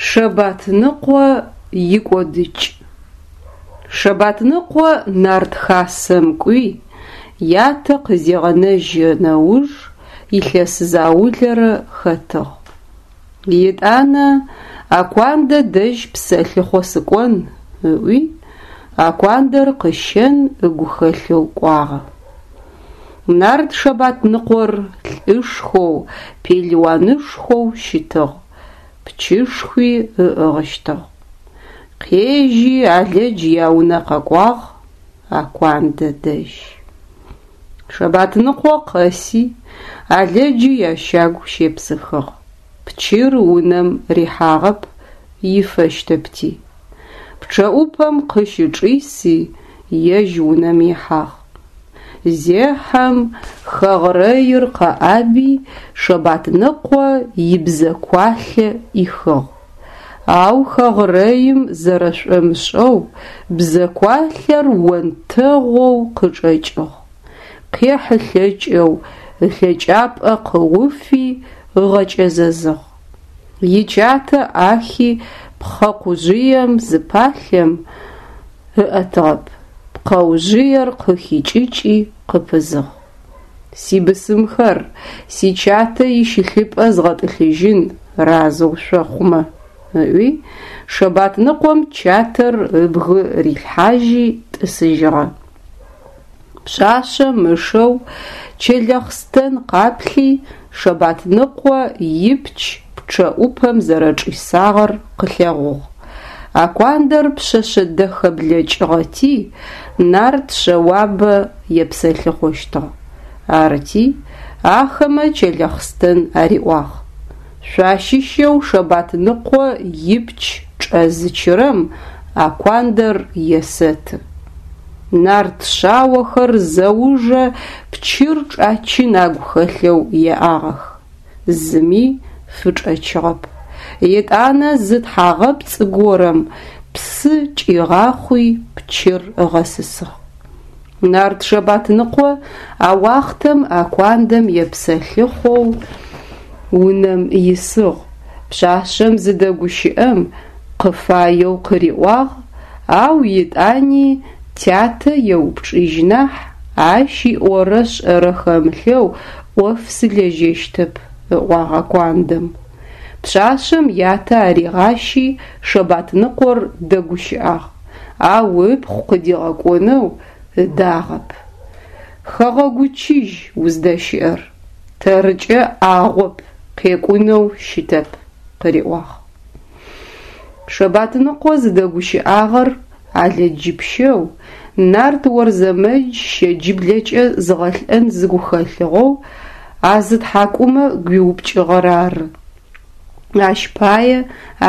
Шэбатныкъо икӏодыкӏ. Шэбатныкъо нарт хасэм кӏуи, ятэ къызегъэнэжь нэуж илъэс заулэрэ хэтыгъ. Етӏанэ Акуандэ дэжь псэлъыхъо сыкӏон ыӏуи, Акуандэр къыщэн ыгу хэлъэу кӏуагъэ. Нарт Шэбатныкъор лӏышхоу, пелыуанышхоу щытыгъ, пчышхуи ыӏыгъыщтыгъ. Къежьи Алэдж яунэ къэкӏуагъ Акуандэ дэжь. Шэбатныкъо къэси, Алэджи ящагу щепсыхыгъ. Пчыр унэм рихьагъэп, ифэщтэпти. Пчъэӏупэм къыщычӏиси, ежь унэм ихьагъ. Зехьэм, хэгърэир къэӏаби, Шэбатныкъо ибзэкуалъэ ӏихыгъ. Ау хэгърэим зэрэшӏомышӏэу бзэкуалъэр онтэгъоу къычӏэкӏыгъ. Къехьылъэкӏэу ылъэкӏапӏэ къыуфи ыгъэкӏэзэзыгъ. Ичатэ ӏахи пхъэкъужъыем зыпалъэм ыӏэтыгъэп, пкъэужъыер къыхикӏыкӏи къыпызыгъ. Сибысымхэр, сичатэ ищылъыпӏэ згъэтӏылъыжьын разэу шъохъумэ, ыӏуи, Шэбатныкъом чатэр ыбгы рилъхьажьи тӏысыжьыгъэ. Пшъашъэм ышэу Чэлэхъстэн къаплъи, Шэбатныкъо ипч пчъэӏупэм зэрэчӏисагъэр къылъэгъугъ. Акуандэр пшъэшъэ дэхэ блэкӏыгъэти, нарт шъэуабэ епсэлъыхъощтыгъ. Арыти, ахэмэ Чэлэхъстэн ариӏуагъ: Шъуащыщэу Шэбатныкъо ипч чӏэзычырэм Акуандэр есэты. Нарт шъаохэр зэужэ пчыр чӏачын агу хэлъэу еӏагъэх. Зыми фычӏэчыгъэп. Етӏанэ зы тхьагъэпцӏ горэм псы кӏигъахъуи пчыр ыгъэсысыгъ. Нарт Шэбатныкъо а уахътэм Акуандэм епсэлъыхъоу унэм исыгъ. Пшъашъэм зыдэгущыӏэм къыфаеу къыриӏуагъ, ау етӏани тятэ еупчӏыжь нахь, ащ иӏорэ шӏэрэ хэмылъэу ӏоф сылэжьэщтэп, ыӏуагъ Акуандэм. Пшъашъэм ятэ аригъащи Шэбатныкъор дэгущыӏагъ, ау ыпхъу къыдигъэкӏонэу ыдагъэп. Хэгъэгу чыжь уздэщыӏэр, тэрыкӏэ ӏагъоп, къекӏунэу щытэп, къыриӏуагъ. Шэбатныкъо зыдэгущыӏагъэр Алэджыпщэу, нарт Орзэмэдж щэджыблэкӏэ зыгъэлӏэн зыгу хэлъыгъэу а зы тхьакӏумэ гуиупкӏыгъэр ары. Ащ пае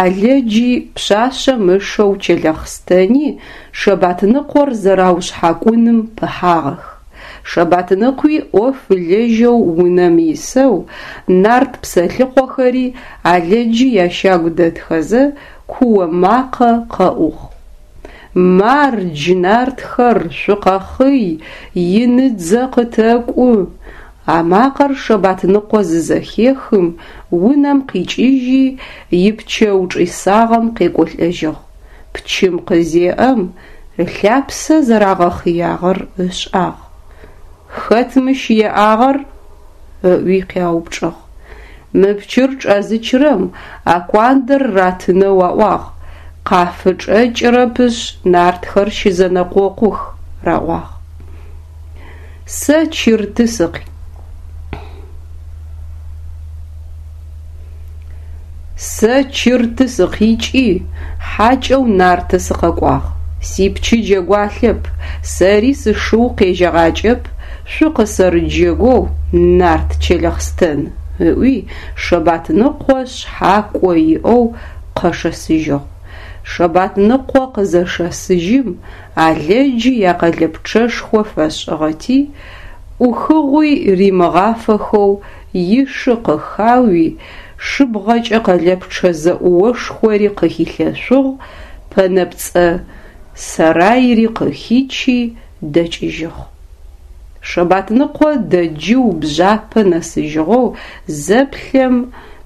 Алэджи пшъашъэм ышэу Чэлэхъстэни Шэбатныкъор зэраушъхьакӏуным пыхьагъэх. Шэбатныкъуи ӏоф ылэжьэу унэм исэу, нарт псэлъыхъохэри Алэджи ящагу дэтхэзэ, куо макъэ къэӏугъ. Мардж, нартхэр, шъукъэхъый, иныдзэ къытэкӏу! А макъэр Шэбатныкъо зызэхехым, унэм къикӏыжьи, ипчэу чӏисагъэм къекӏолӏэжьыгъ. Пчым къызеӏэм, ылъапсэ зэрагъэхъыягъэр ышӏагъ. Хэт мыщ еӏагъэр? ыӏуи къяупчӏыгъ. Мы пчыр чӏэзычырэм Акуандэр ратынэу аӏуагъ, къафычӏэкӏырэпышъ, нартхэр щызэнэкъокъух, раӏуагъ. Сэ чырты сыкъ. Сэ Чырты сыкъикӏи, хьакӏэу Нарты сыкъэкӏуагъ. Сипчы джэгуалъэп, сэри сышыу къежьэгъакӏэп, шъукъысэрыджэгоу нарт Чэлэхъстэн, ыӏуи, Шэбатныкъо шъхьакӏо иӏэу къэшэсыжьыгъ. Шэбатныкъо къызэшэсыжьым, Алэджи якъэлэпчъэшхо фэшӏыгъэти, ӏухыгъуи римыгъафэхэу ишы къыхауи, шыбгъэкӏэ къэлэпчъэ зэӏуошхори къыхилъэшъугъ, пэнэпцӏэ сэрайри къыхичи, дэкӏыжьыгъ. Шэбатныкъо дэджыу бжъапэ нэсыжьыгъэу зэплъэм,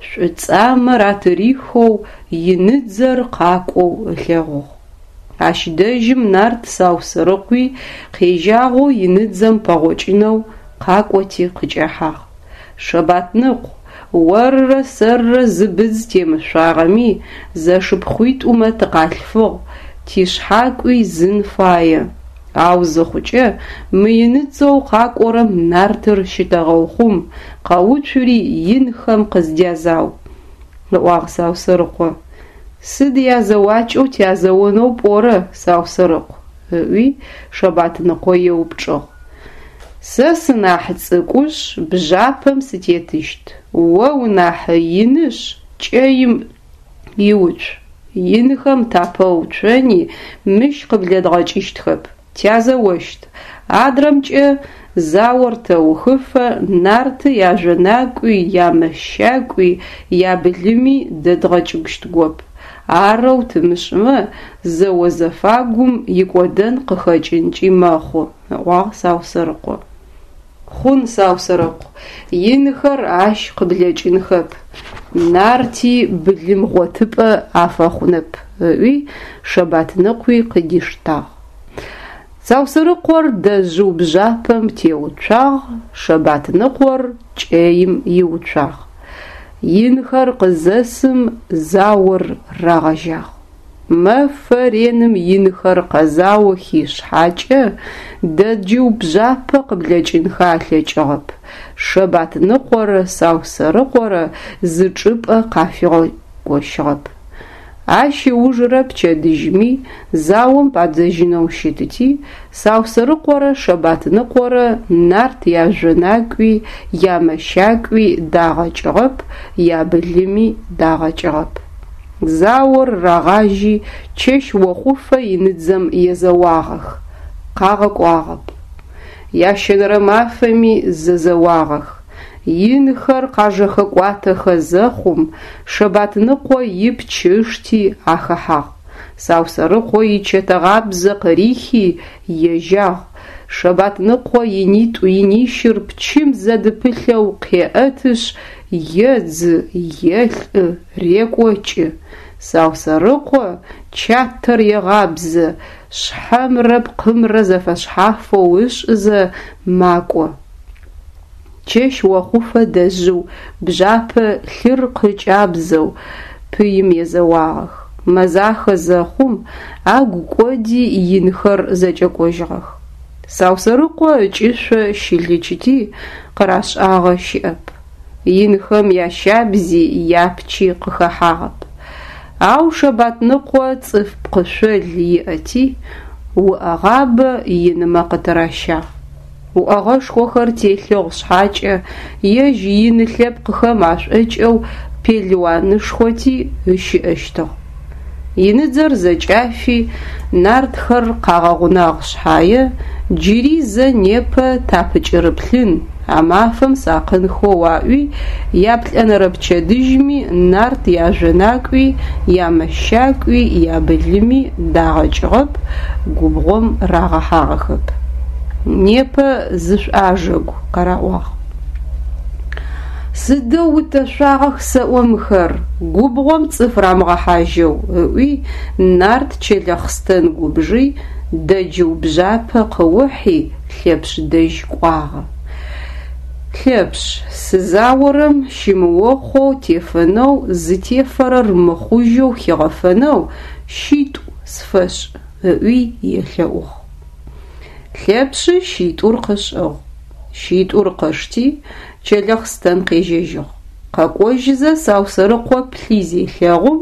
шӏуцӏамэр атырихэу иныдзэр къакӏоу ылъэгъугъ. Ащ дэжьым нарт Саусэрыкъуи къежьагъэу иныдзэм пэгъокӏынэу къакӏоти къыкӏэхьагъ. Шэбатныкъу, орырэ сэрырэ зы быдз темышъуагъэми, зэшыпхъуитӏумэ тыкъалъфыгъ, тишъхьакӏуи зын фае. Ау зыхъукӏэ, мы иныдзэу къакӏорэм нартыр щытэгъэухъум, къэуцури инхэм къыздязау, ыӏуагъ Саусэрыкъо. Сыд язэуакӏэу тязэонэу пӏорэ, Саусэрыкъу? ыӏуи Шэбатныкъо еупчӏыгъ. Сэ сынахь цӏыкӏушъ, бжъапэм сытетыщт, о унахь инышъ, кӏэим иуцу. Инхэм тапэуцони мыщ къыблэдгъэкӏыщтхэп, тязэощт. Адрэмкӏэ, заор тэухыфэ нарты яжъонакӏуи, ямэщакӏуи, ябылыми дэдгъэкӏыщтгоп. Арэу тымышӏымэ, зэо зэфагум икӏодэн къыхэкӏынкӏи мэхъу, ыӏуагъ Саусэрыкъо. Хъун, Саусэрыкъу, инхэр ащ къыблэкӏынхэп, нарти былым гъотыпӏэ афэхъунэп, ыӏуи Шэбатныкъуи къыдиштагъ. Саусэрыкъор дэжъыу бжъапэм теуцуагъ, Шэбатныкъор кӏэим иуцуагъ. Инхэр къызэсым заор рагъэжьагъ. Мэфэ реным инхэр къэзаохи шъхьакӏэ, дэджыу бжъапэ къыблэкӏынхэ алъэкӏыгъэп, Шэбатныкъорэ Саусэрыкъорэ зы чӏыпӏэ къафигъэкощыгъэп. Ащ ыужырэ пчэдыжьми заом падзэжьынэу щытыти, Саусэрыкъорэ Шэбатныкъорэ нарт яжъонакӏуи, ямэщакӏуи дагъэкӏыгъэп, ябылыми дагъэкӏыгъэп. Заор рагъажьи, чэщ охъуфэ иныдзэм езэуагъэх, къагъэкӏуагъэп. Ящэнэрэ мафэми зэзэуагъэх. Инхэр къажэхэкӏуатэхэ зэхъум, Шэбатныкъо ипч ышти ахэхьагъ. Саусэрыкъо ичэтэгъабзэ къырихи ежьагъ. Шэбатныкъо инитӏу инищыр пчым зэдыпылъэу къеӏэтышъ, едзы, елӏы, рекӏокӏы. Саусэрыкъо чатэр егъабзэ, шъхьэмрэ пкъымрэ зэфэшъхьафэу ышӏызэ макӏо. Чэщ охъуфэ дэжъыу бжъапэ лъыр къыкӏабзэу пыим езэуагъэх. Мэзахэ зэхъум, агу кӏоди инхэр зэкӏэкӏожьыгъэх. Саусэрыкъо ыкӏышъо щылычыти, къырашӏагъэ щыӏэп. Инхэм ящабзи япчи къыхэхьагъэп. Ау Шэбатныкъо цӏыф пкъышъол иӏэти, уӏэгъабэ инымэ къытыращагъ. Уӏэгъэшхохэр телъыгъ шъхьакӏэ, ежь ины лъэпкъхэм ашӏокӏэу пелыуанышхоти ыщыӏэщтыгъ. Иныдзэр зэкӏафи, нартхэр къагъэгъунагъ шъхьае, джыри зэ непэ тапыкӏырыплъын, а мафэм сакъынхэу аӏуи, яплӏэнэрэ пчэдыжьми нарт яжъонакӏуи, ямэщакӏуи, ябылыми дагъэкӏыгъэп, губгъом рагъэхьагъэхэп. Непэ зышъуӏажэгу, къараӏуагъ. Сыдэу утэшъуагъэх сэӏо мыхэр, губгъом цӏыф рамыгъэхьажьэу, ыӏуи, нарт Чэлэхъстэн губжи, дэджыу бжъапэ къыухьи, Лъэпшъ дэжь кӏуагъэ. Лъэпшъ, сызаорэм щымыохъоу тефэнэу, зытефэрэр мыхъужьэу хигъэфэнэу щитӏу сфэшӏ, ыӏуи елъэӏугъ. Лъэпшъы щитӏур къышӏыгъ. Щитӏур къышти, Чэлэхъстэн къежьэжьыгъ. Къэкӏожьызэ Саусэрыкъо плъи зелъэгъум,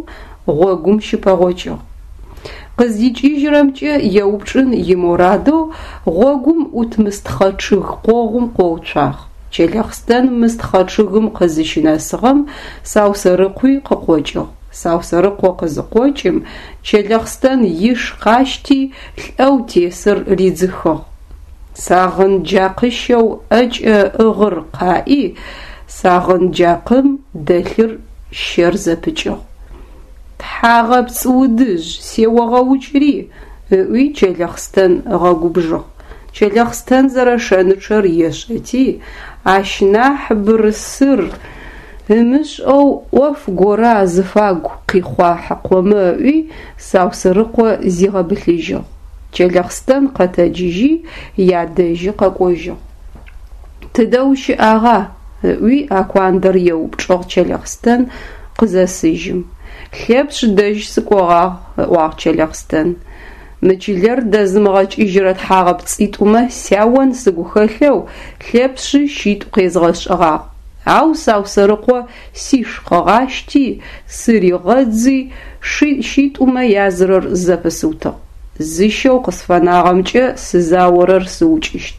гъогум щыпэгъокӏыгъ. Къыздикӏыжьырэмкӏэ еупчӏын имурадэу гъогум ӏут мыстхъэ чъыг къогъум къоуцуагъ. Чэлэхъстэн мыстхъэ чъыгым къызыщынэсыгъэм Саусэрыкъуи къыкъокӏыгъ. Саусэрыкъо къызыкъокӏым, Чэлэхъстэн иш къащти, лӏэу тесыр ридзыхыгъ. Сагъынджакъыщэу ӏэкӏэ ыӏыгъыр къаӏи, сагъынджакъым дэлъыр щэр зэпыкӏыгъ. Тхьагъэпцӏ удыжъ, сеогъэукӏри! ыӏуи Чэлэхъстэн ыгъэгубжыгъ. Чэлэхъстэн зэрэшэнычъэр ешӏэти, ащ нахь бырсыр. Ымышӏэу ӏоф горэ азыфагу къихъуахьыкъомэ ыӏуи, Саусэрыкъо зигъэбылъыжьыгъ. Чэлэхъстэн къэтэджыжьи, ядэжьы къэкӏожьыгъ. Тыдэ ущыӏагъа? ыӏуи Акуандэр еупчӏыгъ Чэлэхъстэн къызэсыжьым. Лъэпшъ дэжь сыкӏогъагъ, ыӏуагъ Чэлэхъстэн. Мы чылэр дэзымыгъэкӏыжьырэ тхьагъэпцӏитӏумэ сяон сыгу хэлъэу Лъэпшъы щитӏу къезгъэшӏыгъагъ. Ау Саусэрыкъо сиш къыгъащти, сыригъэдзи, ши щитӏумэ язырэр зэпысыутыгъ. Зы шэу къысфэнагъэмкӏэ сызаорэр сыукӏыщт.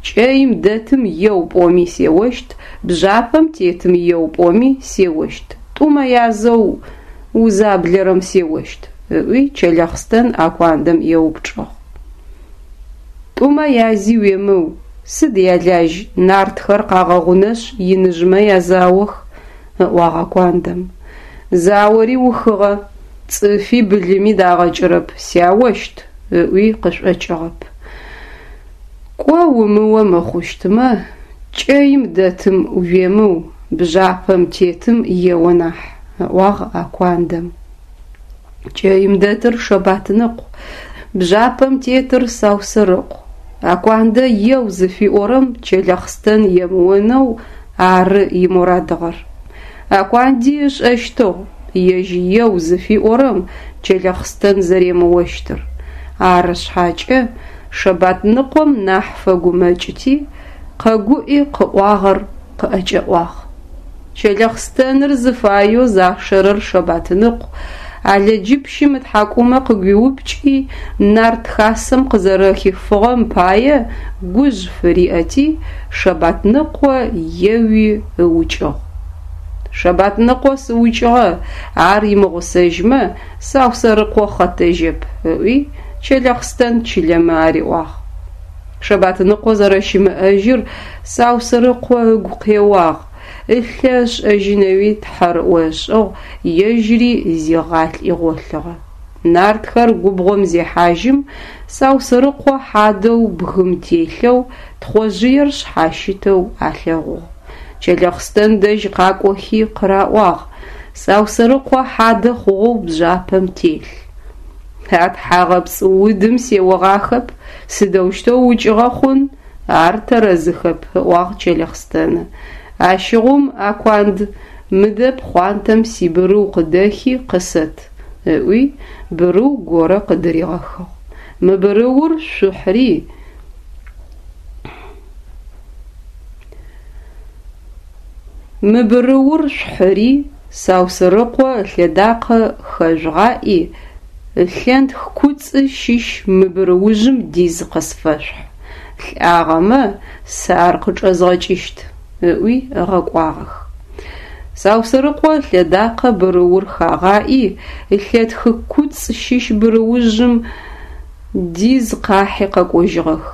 Кӏэим дэтым еу пӏоми сеощт, бжъапэм тетым еу пӏоми сеощт, тӏумэ язэу узаблэрэм сеощт, ыӏуи Чэлэхъстэн Акуандэм еупчӏыгъ. Тӏумэ язи уемыу, сыд ялажь, нартхэр къагъэгъунэшъ иныжъмэ язаох, ыӏуагъ Акуандэм. Заори ухыгъэ, цӏыфи былыми дагъэкӏырэп, сяощт, ыӏуи къышӏокӏыгъэп. Кӏо умыо мыхъущтмэ, кӏэим дэтым уемыу, бжъапэм тетым ео нахь, ыӏуагъ Акуандэм. Кӏэим дэтыр Шэбатныкъу, бжъапэм тетыр Саусэрыкъу. Акуандэ еу зыфиӏорэм Чэлэхъстэн емыонэу ары имурадыгъэр. Акуанди ышӏэщтыгъ ежь еу зыфиӏорэм Чэлэхъстэн зэремыощтыр. Ары шъхьакӏэ, Шэбатныкъом нахь фэгумэкӏыти, къэгуӏи къыӏуагъэр къыӏэкӏэӏуагъ. Чэлэхъстэныр зыфаеу зашэрэр Шэбатныкъу, ӏалэджыпщым ытхьакӏумэ къыгуиупкӏи, нарт хасэм къызэрэхифыгъэм пае гужъ фыриӏэти, Шэбатныкъо еуи ыукӏыгъ. Шэбатныкъо сыукӏыгъэ, ар имыгъусэжьмэ, Саусэрыкъо хъэтэжьэп, ыӏуи, Чэлэхъстэн чылэмэ ариӏуагъ. Шэбатныкъо зэрэщымыӏэжьыр Саусэрыкъо ыгу къеуагъ, ылъэ ышӏэжьынэуи тхьэрыӏо ышӏыгъ, ежьыри зигъалӏи гъолъыгъэ. Нартхэр губгъом зехьажьым, Саусэрыкъо хьадэу бгым телъэу, Тхъожъыер шъхьащытэу алъэгъугъ. Чэлэхъстэн дэжь къакӏохи къыраӏуагъ, Саусэрыкъо хьадэ хъугъэу бжъапэм телъ. А тхьагъэпцӏ удым сеогъахэп, сыдэущтэу укӏыгъэ хъун, ар тэрэзыхэп, ыӏуагъ Чэлэхъстэны. Ащыгъум, Акуанд, мыдэ пхъуантэм сибырыу къыдэхи къысэт, ыӏуи, бырыу горэ къыдыригъэхыгъ. Мы бырыур шъухьри, Мы бырыур шъухьыри, Саусырыкъо ылъэдакъэ хэжъугъаӏи, ылъэнтх куцӏы щыщ мы бырыужъым диз къысфэшъухь. Лӏагъэмэ, сэ ар къычӏэзгъэкӏыщт, ыӏуи ыгъэкӏуагъэх. Саусырыкъо ылъэдакъэ бырыур хагъаӏи, ылъэтхы куцӏ щыщ бырыужъым диз къахьи къэкӏожьыгъэх.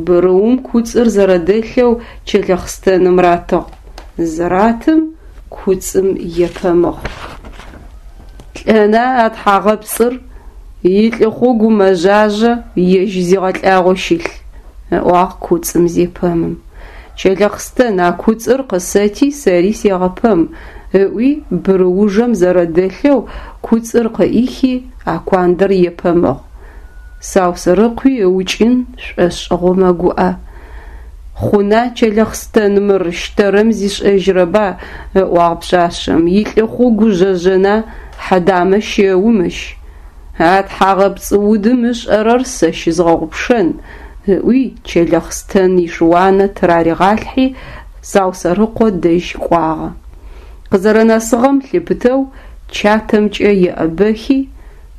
Бырыум куцӏыр зэрэдэлъэу Чэлэхъстэным ратыгъ. Зыратым, куцӏым епэмыгъ. Лӏэна а тхьагъэпцӏыр, илӏыхъугу мэжъажъэ, ежь зигъэлӏагъэу щылъ, ыӏуагъ куцӏым зепэмым. Чэлэхъстэн, а куцӏыр къысэти сэри сегъэпэм, ыӏуи бырыужэм зэрэдэлъэу куцӏыр къыӏихи, Акуандэр епэмыгъ. Саусэрыкъуи ыукӏын шӏошӏыгъэу мэгуӏэ. Хъуна Чэлэхъстэн мыр, щтэрэм зишӏэжьрэба, ыӏуагъ пшъашъэм, илӏыхъугу жъэжъэна, хьэдамэ щэу мыщ. А тхьагъэпцӏ удым ышӏэрэр сэ щызгъэгъупшэн, ыӏуи Чэлэхъстэн ишыуанэ тыраригъалъхьи, Саусэрыкъо дэжь кӏуагъэ. Къызэрэнэсыгъэм лъыпытэу чатэмкӏэ еӏэбэхи,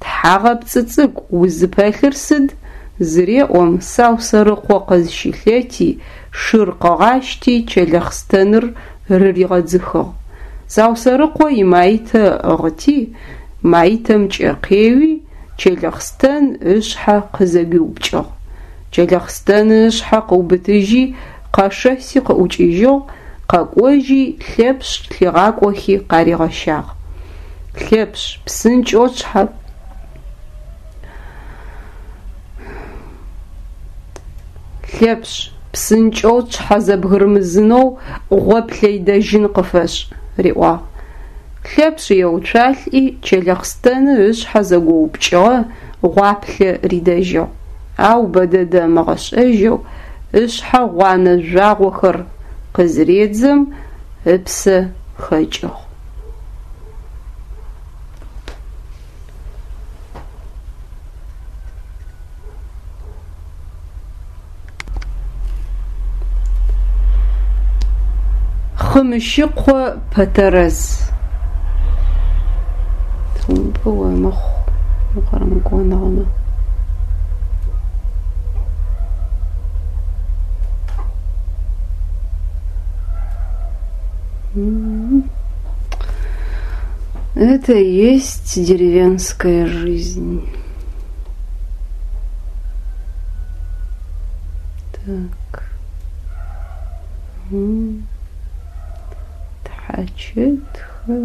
Тхьагъэпцӏы цӏыкӏу, узыпэлъыр сыд? зыреӏом, Саусэрыкъо къызщылъэти, шыр къыгъащти, Чэлэхъстэныр рыригъэдзыхыгъ. Саусэрыкъо имаитэ ыӏыгъыти, маитэмкӏэ къеуи, Чэлэхъстэн ышъхьэ къызэгуиупкӏыгъ. Чэлэхъстэн ышъхьэ къыубытыжьи, къэшэси къыӏукӏыжьыгъ, къэкӏожьи, Лъэпшъ лъигъакӏохи къаригъэщагъ. Лъэпшъ, псынкӏэу тшъхьэ Лъэпшъ, псынкӏэу тшъхьэ зэбгырымызынэу гъоплъэ идэжьын къыфэшӏ. риӏуагъ. Лъэпшъ еуцуалӏи, Чылэхъстэны ышъхьэ зэгоупкӏыгъэ гъуаплъэ ридэжьыгъ. Ау бэдэдэ ымыгъэшӏэжьэу ышъхьэ гъуанэ жъуагъохэр къызыредзэм, ыпсэ хэкӏыгъ. Хъымыщыкъо Пэтэрэз. Цумпӏэ омыхъу, укъэрэмыкӏоныгъэмэ. Это и есть деревенская жизнь. Так. Тхьачэтхэ,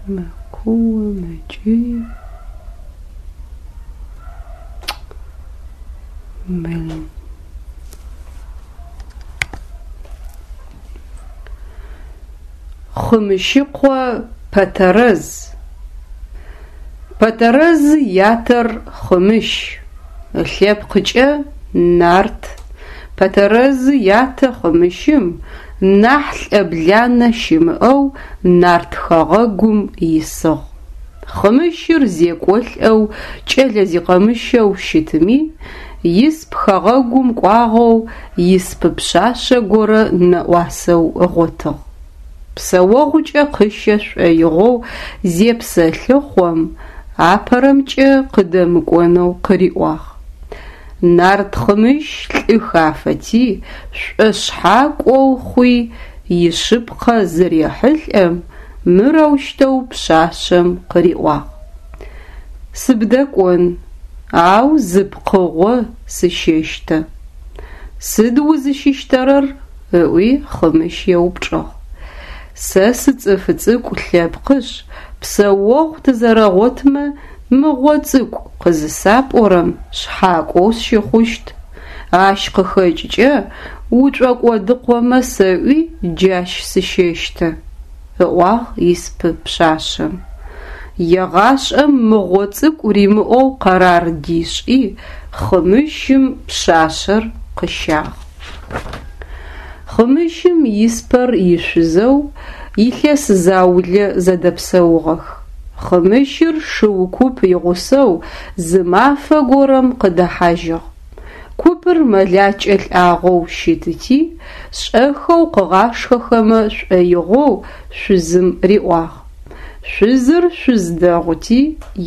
мэкуо, мэкӏый. Блин. Хъымыщыкъо Пэтэрэз. Пэтэрэз ятэр Хъымыщ, ылъэпкъыкӏэ нарт. Пэтэрэз ятэ Хъымыщым нахь лӏэбланэ щымыӏэу нарт хэгъэгум исыгъ. Хъымыщыр зекӏолӏэу кӏэлэ зикъэмыщэу щытми, исп хэгъэгум кӏуагъэу испы пшъашъэ горэ нэӏуасэу ыгъотыгъ. Псэогъукӏэ къыщэ шӏоигъоу зепсэлъыхъом, апэрэмкӏэ къыдэмыкӏонэу къыриӏуагъ. Нарт Хъымыщ лӏы хафэти, шӏошъхьакӏоу хъуи, ишъыпкъэ зырехьылӏэм, мырэущтэу пшъашъэм къыриӏуагъ: Сыбдэкӏон, ау зы пкъыгъо сыщэщтэ. Сыд узыщыщтэрэр? ыӏуи Хъымыщ еупчӏыгъ. Сэ сыцӏыф цӏыкӏу лъэпкъышъ, псэогъу тызэрэгъотмэ, мыгъо цӏыкӏу къызысапӏорэм шъхьакӏоу сщыхъущт. Ащ къыхэкӏыкӏэ ушӏокӏодыкъомэ сэӏуи джащ сыщэщтэ, ыӏуагъ испы пшъашъэм. Егъашӏэм мыгъо цӏыкӏу римыӏоу къэрар дишӏи, Хъымыщым пшъашъэр къыщагъ. Хъымыщым испэр ишъузэу илъэс заулэ зэдэпсэугъэх. Хъымыщыр шыу куп игъусэу зы мафэ горэм къыдэхьажьыгъ. Купыр мэлакӏэ лӏагъэу щытыти, шӏэхэу къыгъашхэхэмэ шӏоигъоу шъузым риӏуагъ. Шъузыр шъуз дэгъути,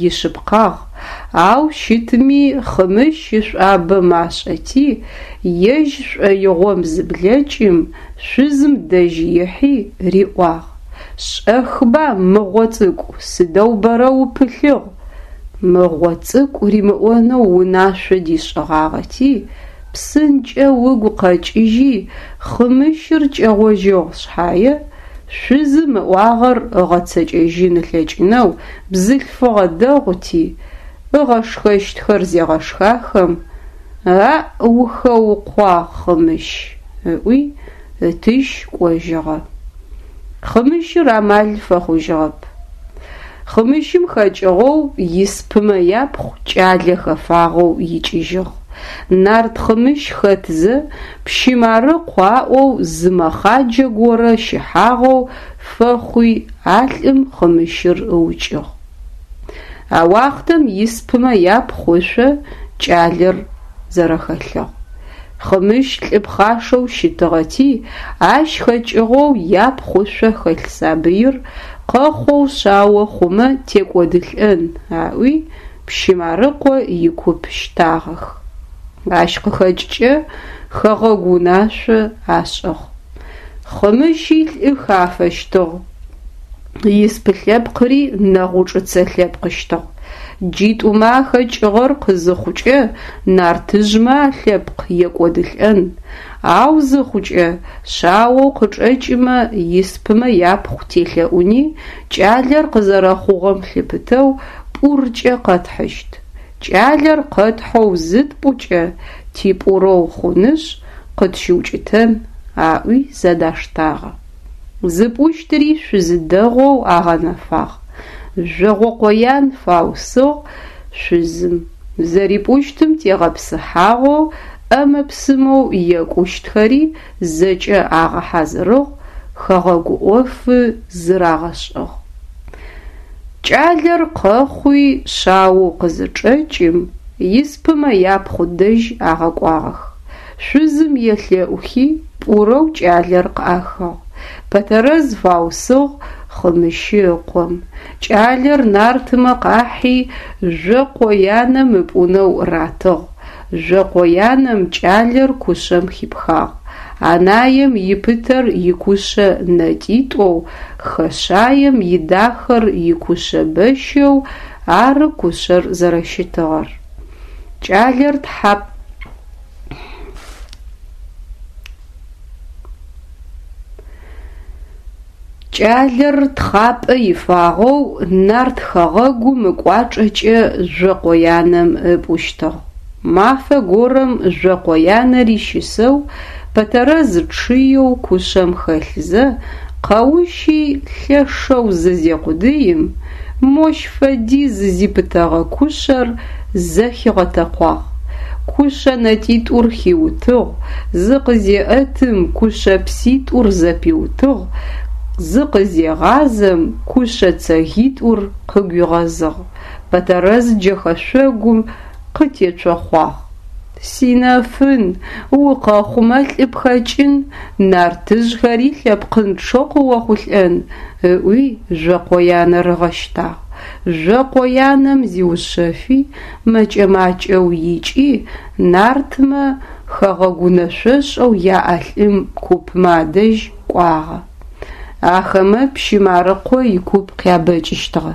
ишъыпкъагъ, ау щытми Хъымыщ ышӏуабэ машӏэти, ежь шӏоигъом зыблэкӏым, шъузым дэжь ихьи риӏуагъ: Шӏэхба, мыгъо цӏыкӏу, сыдэу бэрэ упылъыгъ? Мыгъо цӏыкӏу римыӏонэу унашъо дишӏыгъагъэти, псынкӏэу ыгу къэкӏыжьи, Хъымыщыр кӏэгъожьыгъ шъхьае, шъузым ыӏуагъэр ыгъэцэкӏэжьын ылъэкӏынэу бзылъфыгъэ дэгъути, ыгъэшхэщтхэр зегъэшхахэм, Аӏ, ухэукъуагъ, Хъымыщ, ыӏуи, ытыщ кӏожьыгъэ. Хъымыщыр амал фэхъужьыгъэп. Хъымыщым хэкӏыгъэу испымэ япхъу кӏалэ хэфагъэу икӏыжьыгъ. Нарт Хъымыщ хэтзэ, пщы Марыхъу аӏоу зы мэхъаджэ горэ щыхьагъэу фэхъуи, а лӏым Хъымыщыр ыукӏыгъ. А уахътэм испымэ япхъу ышъо кӏалэр зэрэхэлъыгъ. Хъымыщ лӏы пхъашэу щытыгъэти, ащ хэкӏыгъэу япхъу ышъо хэлъ сабыир къэхъоу шъао хъумэ текӏодылӏэн аӏуи, пщы Марыкъо икуп щтагъэх. Ащ къыхэкӏкӏэ хэгъэгу унашъо ашӏыгъ. Хъымыщи лӏы хафэщтыгъ. Испы лъэпкъри нэгъучӏыцэ лъэпкъыщтыгъ. Джитӏумэ ахэкӏыгъэр къызыхъукӏэ нартыжъмэ алъэпкъ екӏодылӏэн, ау зыхъукӏэ шъаоу къычӏэкӏымэ испымэ япхъу телъэӏуни, кӏалэр къызэрэхъугъэм лъыпытэу пӏуркӏэ къэтхьыщт. Кӏалэр къэтхьэу зытпӏукӏэ типӏурэу хъунышъ, къытщыукӏытэн, аӏуи зэдаштагъэ. Зыпӏущтыри шъузы дэгъоу агъэнэфагъ. Жъогъокъоян фаусыгъ шъузым. Зэрипӏущтым тегъэпсыхьагъэу ӏэмэ-псымэу екӏущтхэри зэкӏэ агъэхьазырыгъ, хэгъэгу ӏофы зырагъэшӏыгъ. Кӏалэр къэхъуи шъаоу къызычӏэкӏым, испымэ япхъу дэжь агъэкӏуагъэх. Шъузым елъэӏухи, пӏурэу кӏалэр къыӏахыгъ. Пэтэрэз фаусыгъ Хъымыщы ыкъом. Кӏалэр нартымэ къахьи, Жъокъоянэм ыпӏунэу ратыгъ. Жъокъоянэм кӏалэр кушъэм хипхагъ. Анаем ипытэр икушъэ нэтӏитӏоу, хэшъаем идахэр икушъэ бэщэу ары кушъэр зэрэщытыгъэр. Кӏалэр тхьап. Кӏалэр тхъапӏэ ифагъэу нарт хэгъэгум ыкӏуачӏэкӏэ Жъокъоянэм ыпӏущтыгъ. Мафэ горэм Жъокъоянэри щысэу, Пэтэрэз чъыеу кушъэм хэлъзэ, къэущи лъэшэу зызекъудыим, мощ фэдиз зипытэгъэ кушъэр зэхигъэтэкъуагъ. Кушъэ нэтӏитӏур хиутыгъ, зыкъызеӏэтым кушъэ пситӏур зэпиутыгъ, зыкъызегъазэм кушъэ цэгитӏур къыгуигъэзыгъ. Пэтэрэз джэхэшъогум къытецохъуагъ. Синэфын, укъэхъумэ лӏы пхэкӏын, нартыжъхэри лъэпкъынчъэу къыохъулӏэн, ыӏуи Жъокъоянэр ыгъэщтагъ. Жъокъоянэм зиушъэфи, мэкӏэ-макӏэу икӏи, нартмэ хэгъэгу унэшъошӏэу яӏэ лӏым купмэ адэжь кӏуагъэ. Ахэмэ пщы Марыкъо икуп къябэкӏыщтыгъэ.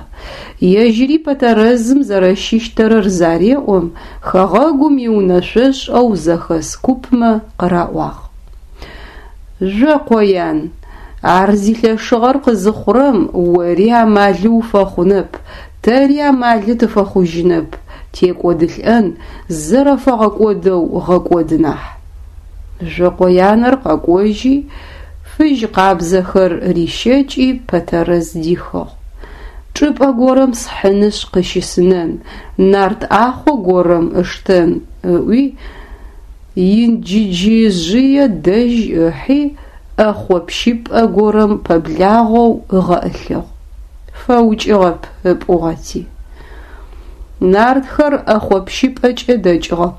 Ежьыри Пэтэрэзым зэрэщыщтэрэр зареӏом, хэгъэгум иунэшъошӏэу зэхэс купмэ къыраӏуагъ. Жъокъоян, ар зилъэшыгъэр къызыхъурэм ори амалы уфэхъунэп, тэри амалы тыфэхъужьынэп, текӏодылӏэн, зэрэфэгъэкӏодэу гъэкӏод нахь. Жъокъоянэр къэкӏожьи, фыжь къабзэхэр рищэкӏи Пэтэрэз дихыгъ. Чӏыпӏэ горэм схьынышъ къыщысынэн, нарт ӏахъо горэм ыштэн, ыӏуи, Инджыджыжъые дэжь ыхьи, ӏэхъо пщыпӏэ горэм пэблагъэу ыгъэӏылъыгъ. Фэукӏыгъэп ыпӏугъэти. Нартхэр ӏэхъо пщыпӏэкӏэ дэкӏыгъэ.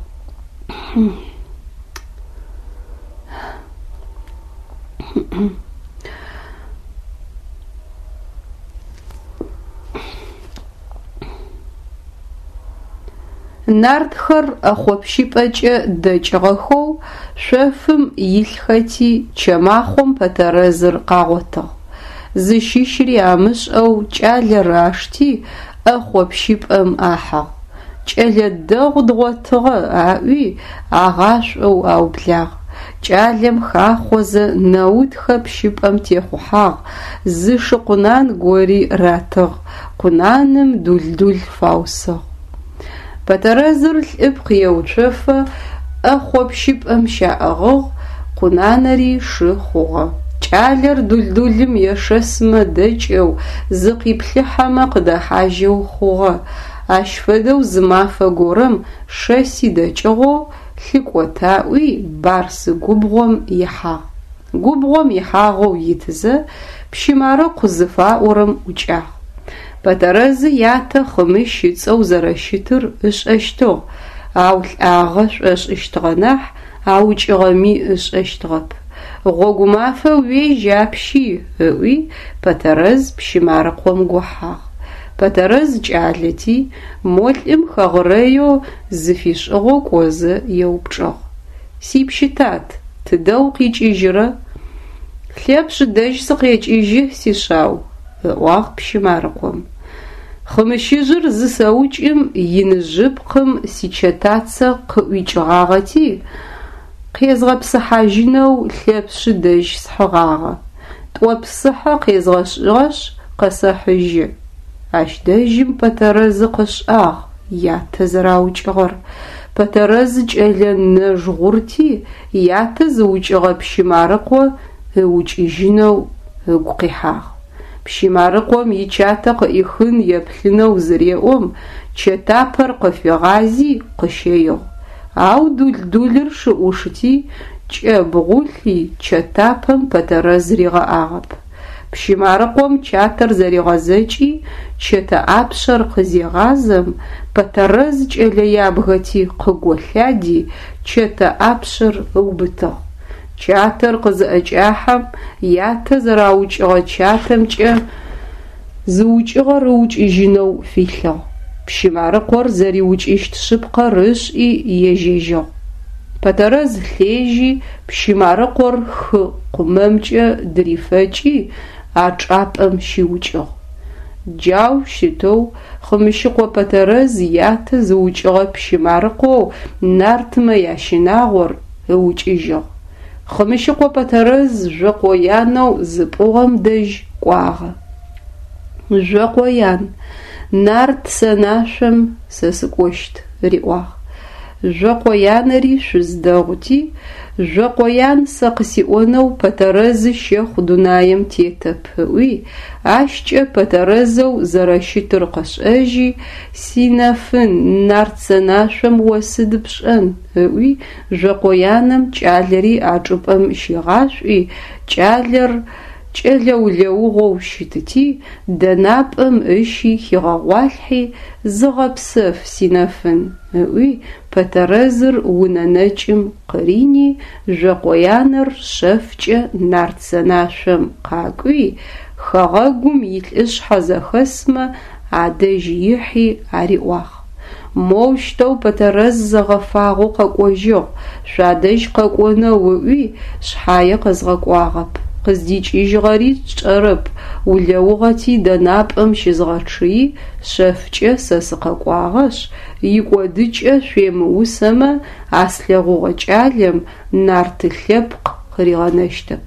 Нартхэр ӏэхъопщыпӏэкӏэ дэкӏыгъэхэу шъофым илъхэти, чэмахъом Пэтэрэзыр къагъотыгъ. Зыщыщри амышӏэу кӏалэр ашти, ӏэхъопщыпӏэм ахьыгъ. Кӏэлэ дэгъу дгъотыгъэ, аӏуи, агъашӏоу аублагъ. Кӏалэм хахъозэ Нэутхэ пщыпӏэм техъухьагъ, зы шы къунан гори ратыгъ, къунаным Дулдул фаусыгъ. Пэтэрэзыр лӏыпкъ еуцофэ ӏэхъо пщыпӏэм щаӏыгъыгъ, къунанэри шы хъугъэ. Кӏалэр Дулдулым ешэсмэ дэкӏэу, зыкъиплъыхьэмэ къыдэхьажьэу хъугъэ. Ащ фэдэу зы мафэ горэм шэси дэкӏыгъэу лъыкӏотаӏуи Барс губгъом ихьагъ. Губгъом ихьагъэу итызэ, пщы Марыкъу зыфаӏорэм ӏукӏагъ. Пэтэрэзы ятэ Хъымыщ ыцӏэу зэрэщытыр ышӏэщтыгъ, ау лӏагъэ шӏошӏыщтыгъэ нахь, аукӏыгъэми ышӏэщтыгъэп. Гъогумафэ уежь апщи, ыӏуи, Пэтэрэз пщы Марыкъом гохьагъ. Пэтэрэз кӏалэти, мо лӏым хэгъырэеу зыфишӏыгъэу кӏозэ еупчӏыгъ. Сипщы тат, тыдэ укъикӏыжьырэ? Лъэпшъ дэжь сыкъекӏыжьы, сишъау, ыӏуагъ пщы Марыкъом. Хъымыщыжъыр зысэукӏым иныжъыпкъым сичэтацэ къыӏуикӏыгъагъэти, къезгъэпсыхьажьынэу Лъэпшъы дэжь схьыгъагъэ. Тӏо псыхьэ къезгъэшӏыгъэшъ, къэсэхьыжьы. Ащ дэжьым Пэтэрэзы къышӏагъ ятэ зэраукӏыгъэр. Пэтэрэз кӏэлэ нэжгъурти, ятэ зыукӏыгъэ пщы Марыкъо ыукӏыжьынэу ыгу къихьагъ. Пщы Марыкъом ичатэ къыӏихын еплъынэу зыреӏом, чэтапэр къыфигъази къыщэигъ. Ау Дул-Дулыр шы ӏушти, кӏэбгъулъи, чэтапэм Пэтэрэз ригъэӏагъэп. Пщы Марыкъом чатэр зэригъэзэкӏи, чэтэ ӏапшъэр къызегъазэм, Пэтэрэз кӏэлэ ябгэти къыголъади, чэтэ ӏапшъэр ыубытыгъ. Чатэр къызыӏэкӏахьэм, ятэ зэраукӏыгъэ чатэмкӏэ зыукӏыгъэр ыукӏыжьынэу филъыгъ. Пщы Марыкъор зэриукӏыщт шъыпкъэр ышӏи ежьэжьыгъ. Пэтэрэз лъежьи, пщы Марыкъор хы къумэмкӏэ дырифэкӏи, а чӏапӏэм щиукӏыгъ. Джау щытэу Хъымыщыкъо Пэтэрэз ятэ зыукӏыгъэ пщы Марыкъоу нартмэ ящынагъор ыукӏыжьыгъ. Хъымыщыкъо Пэтэрэз Жъокъоянэу зыпӏугъэм дэжь кӏуагъэ. Жъокъоян, нарт сэнашъом сэ сыкӏощт, риӏуагъ. Жъокъоянэри шъуз дэгъути, Жъокъоян сэ къысиӏонэу Пэтэрэзы щэхъу дунаем тетэп ыӏуи, ащкӏэ Пэтэрэзэу зэрэщытыр къышӏэжьи, Синэфын, нарт сэнашъом о сыд пшӏэн? ыӏуи, Жъокъоянэм кӏалэри а чӏыпӏэм щигъашӏуи, кӏалэр кӏэлэ улэугъоу щытыти, дэнапӏэм ыщи хигъэгъуалъхьи, Зыгъэпсэф, синэфын, ыӏуи, Пэтэрэзыр унэ нэкӏым къырини, Жъокъоянэр шъэфкӏэ нарт сэнашъом къакӏуи, хэгъэгум илӏышъхьэ зэхэсмэ адэжь ихьи ариӏуагъ. Моущтэу Пэтэрэз зэгъэфагъэу къэкӏожьыгъ, шъуадэжь къэкӏонэу ыӏуи, шъхьае къэзгъэкӏуагъэп. Къыздикӏыжьыгъэри тшӏэрэп, улэугъэти дэнапӏэм щызгъэчъыи, шъэфкӏэ сэ сыкъэкӏуагъэшъ, икӏодыкӏэ шъуемыусэмэ, а слъэгъугъэ кӏалэм нарты лъэпкъ къыригъэнэщтэп.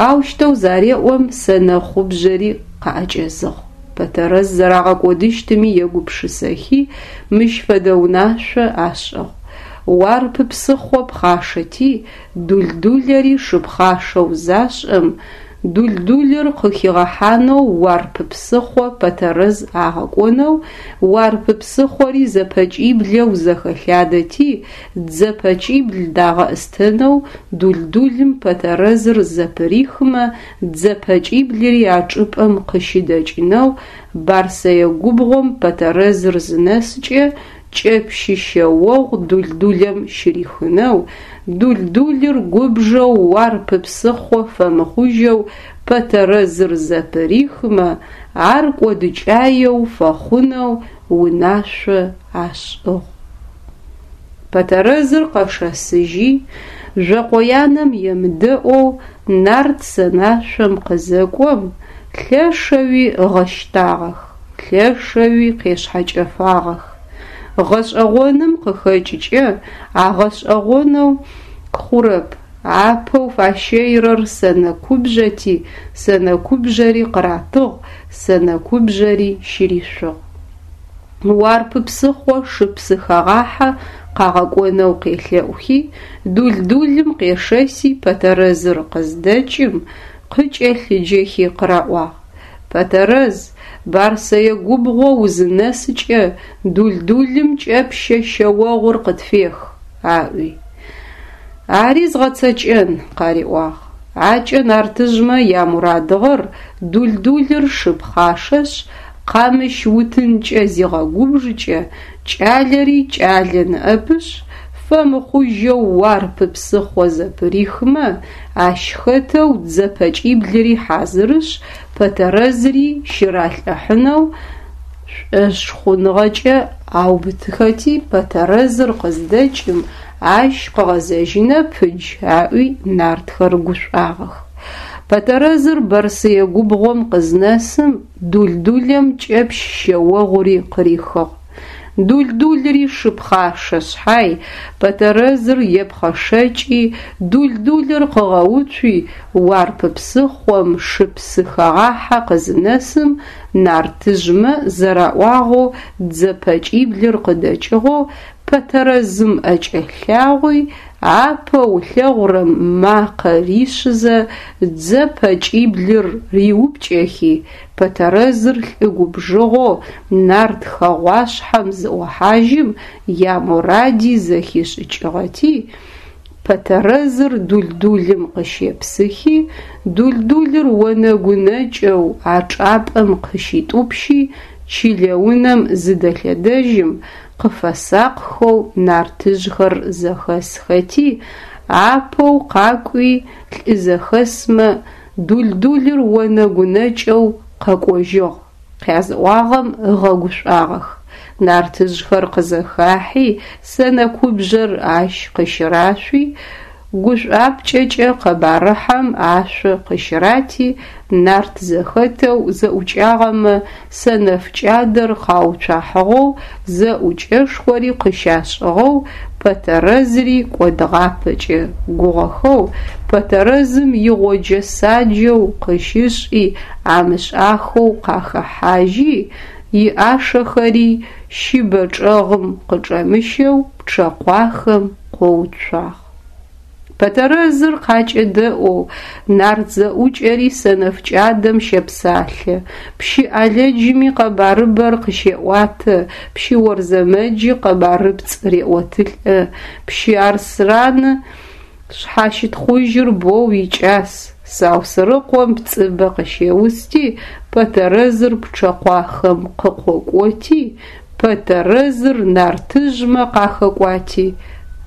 Аущтэу зареӏом, сэнэхъубжъэри къаӏэкӏэзыгъ. Пэтэрэз зэрагъэкӏодыщтыми егупшысэхи, мыщ фэдэ унашъо ашӏыгъ. Уарп псыхъо пхъашэти, Дул-Дулэри шы пхъашэу зашӏэм, Дул-Дулыр къыхигъэхьанэу Уарп псыхъо Пэтэрэз агъэкӏонэу, Уарп псыхъори зэпэкӏиблэу зэхэлъадэти, дзэ пэкӏибл дагъэӏыстэнэу Дул-Дулым Пэтэрэзыр зэпырихмэ, дзэ пэкӏиблыри а чӏыпӏэм къыщыдэкӏынэу Барсэе губгъом Пэтэрэзыр зынэскӏэ, кӏэпщы шъэогъу Дул-Дулэм щырихынэу, Дул-Дулыр губжэу Уарп псыхъо фэмыхъужьэу Пэтэрэзыр зэпырихмэ, ар кӏодыкӏаеу фэхъунэу унашъо ашӏыгъ. Пэтэрэзыр къэшэсыжьи, Жъокъоянэм емыдэӏоу нарт сэнашъом къызэкӏом, лъэшэуи ыгъэщтагъэх, лъэшэуи къешъхьэкӏэфагъэх. Гъэшӏэгъоным къыхэкӏыкӏэ агъэшӏэгъонэу хъурэп, апэу фащэирэр сэнэкубжъэти, сэнэкубжъэри къыратыгъ, сэнэкубжъэри щыришъугъ. Уарп псыхъо шы псыхэгъахьэ къагъэкӏонэу къелъэӏухи, Дул-Дулым къешэси Пэтэрэзыр къыздэкӏым, къыкӏэлъыджэхи къыраӏуагъ, Пэтэрэз, Барсэе губгъо узынэсыкӏэ Дул-Дулым кӏэпщэ шъэогъур къытфех, аӏуи. Ари згъэцэкӏэн, къариӏуагъ. Акӏэ нартыжъмэ ямурадыгъэр Дул-Дулыр шы пхъашэшъ, къамыщ утынкӏэ зигъэгубжыкӏэ, кӏалэри кӏалэ ныӏэпышъ, фэмыхъужьэу Уарп псыхъо зэпырихмэ, ащ хэтэу дзэ пэкӏиблыри хьазырышъ, Пэтэрэзри щыралӏыхьынэу шӏошъхъуныгъэкӏэ аубытыхэти, Пэтэрэзыр къыздэкӏым, ащ къыгъэзэжьынэп ыдж аӏуи нартхэр гушӏуагъэх. Пэтэрэзыр Бэрсые губгъом къызнэсым, Дул-Дулэм кӏэпщ шъэогъури къырихыгъ. Дул-Дулри шы пхъашэ шъхьай, Пэтэрэзыр епхъэшэкӏи, Дул-Дулыр къыгъэуцуи, Уарп псыхъом шы псы хэгъахьэ къызынэсым, нартыжъмэ зэраӏуагъэу дзэ пэкӏиблыр къыдэкӏыгъэу, Пэтэрэзым ӏэкӏэлъагъуи, апэу ылъэгъурэм макъэ ришъызэ дзэ пэкӏиблыр риупкӏэхи, Пэтэрэзыр лӏы губжыгъэу нарт хэгъуашъхьэм зыӏохьажьым, ямуради зэхишӏыкӏыгъэти, Пэтэрэзыр Дул-Дулым къыщепсыхи, Дул-Дулыр онэгу нэкӏэу а чӏапӏэм къыщитӏупщи, чылэ унэм зыдэлъэдэжьым, къыфэсакъхэу нартыжъхэр зэхэсхэти, апэу къакӏуи лӏы зэхэсмэ Дул-Дулыр онэгу нэкӏэу къэкӏожьыгъ къязыӏуагъэм ыгъэгушӏуагъэх. Нартыжъхэр къызэхахьи, сэнэ кубжъэр ащ къыщырашъуи, гушӏуапкӏэкӏэ къэбарыхьэм ашъо къыщырати, нарт зэхэтэу зэӏукӏагъэмэ сэнэф кӏадэр къауцуахьыгъэу, зэӏукӏэшхори къыщашӏыгъэу, Пэтэрэзри кӏодыгъапэкӏэ гугъэхэу, Пэтэрэзым игъоджэ-саджэу къыщышӏи амышӏахэу къахэхьажьи, иӏашэхэри щыбэ чӏэгъым къычӏэмыщэу пчъэкъуахэм къоуцуагъ. Пэтэрэзыр къакӏэдэӏоу, нарт зэӏукӏэри сэнэф кӏадэм щэпсалъэ, пщы ӏалэджыми къэбарыбэр къыщеӏуатэ, пщы Орзэмэджи къэбарыпцӏ реӏотылӏэ, пщы Арсраны шъхьащытхъужьыр боу икӏас, Саусырыкъом пцӏыбэ къыщеусти, Пэтэрэзыр пчъэкъуахэм къыкъокӏоти, Пэтэрэзыр нартыжъмэ къахэкӏуати,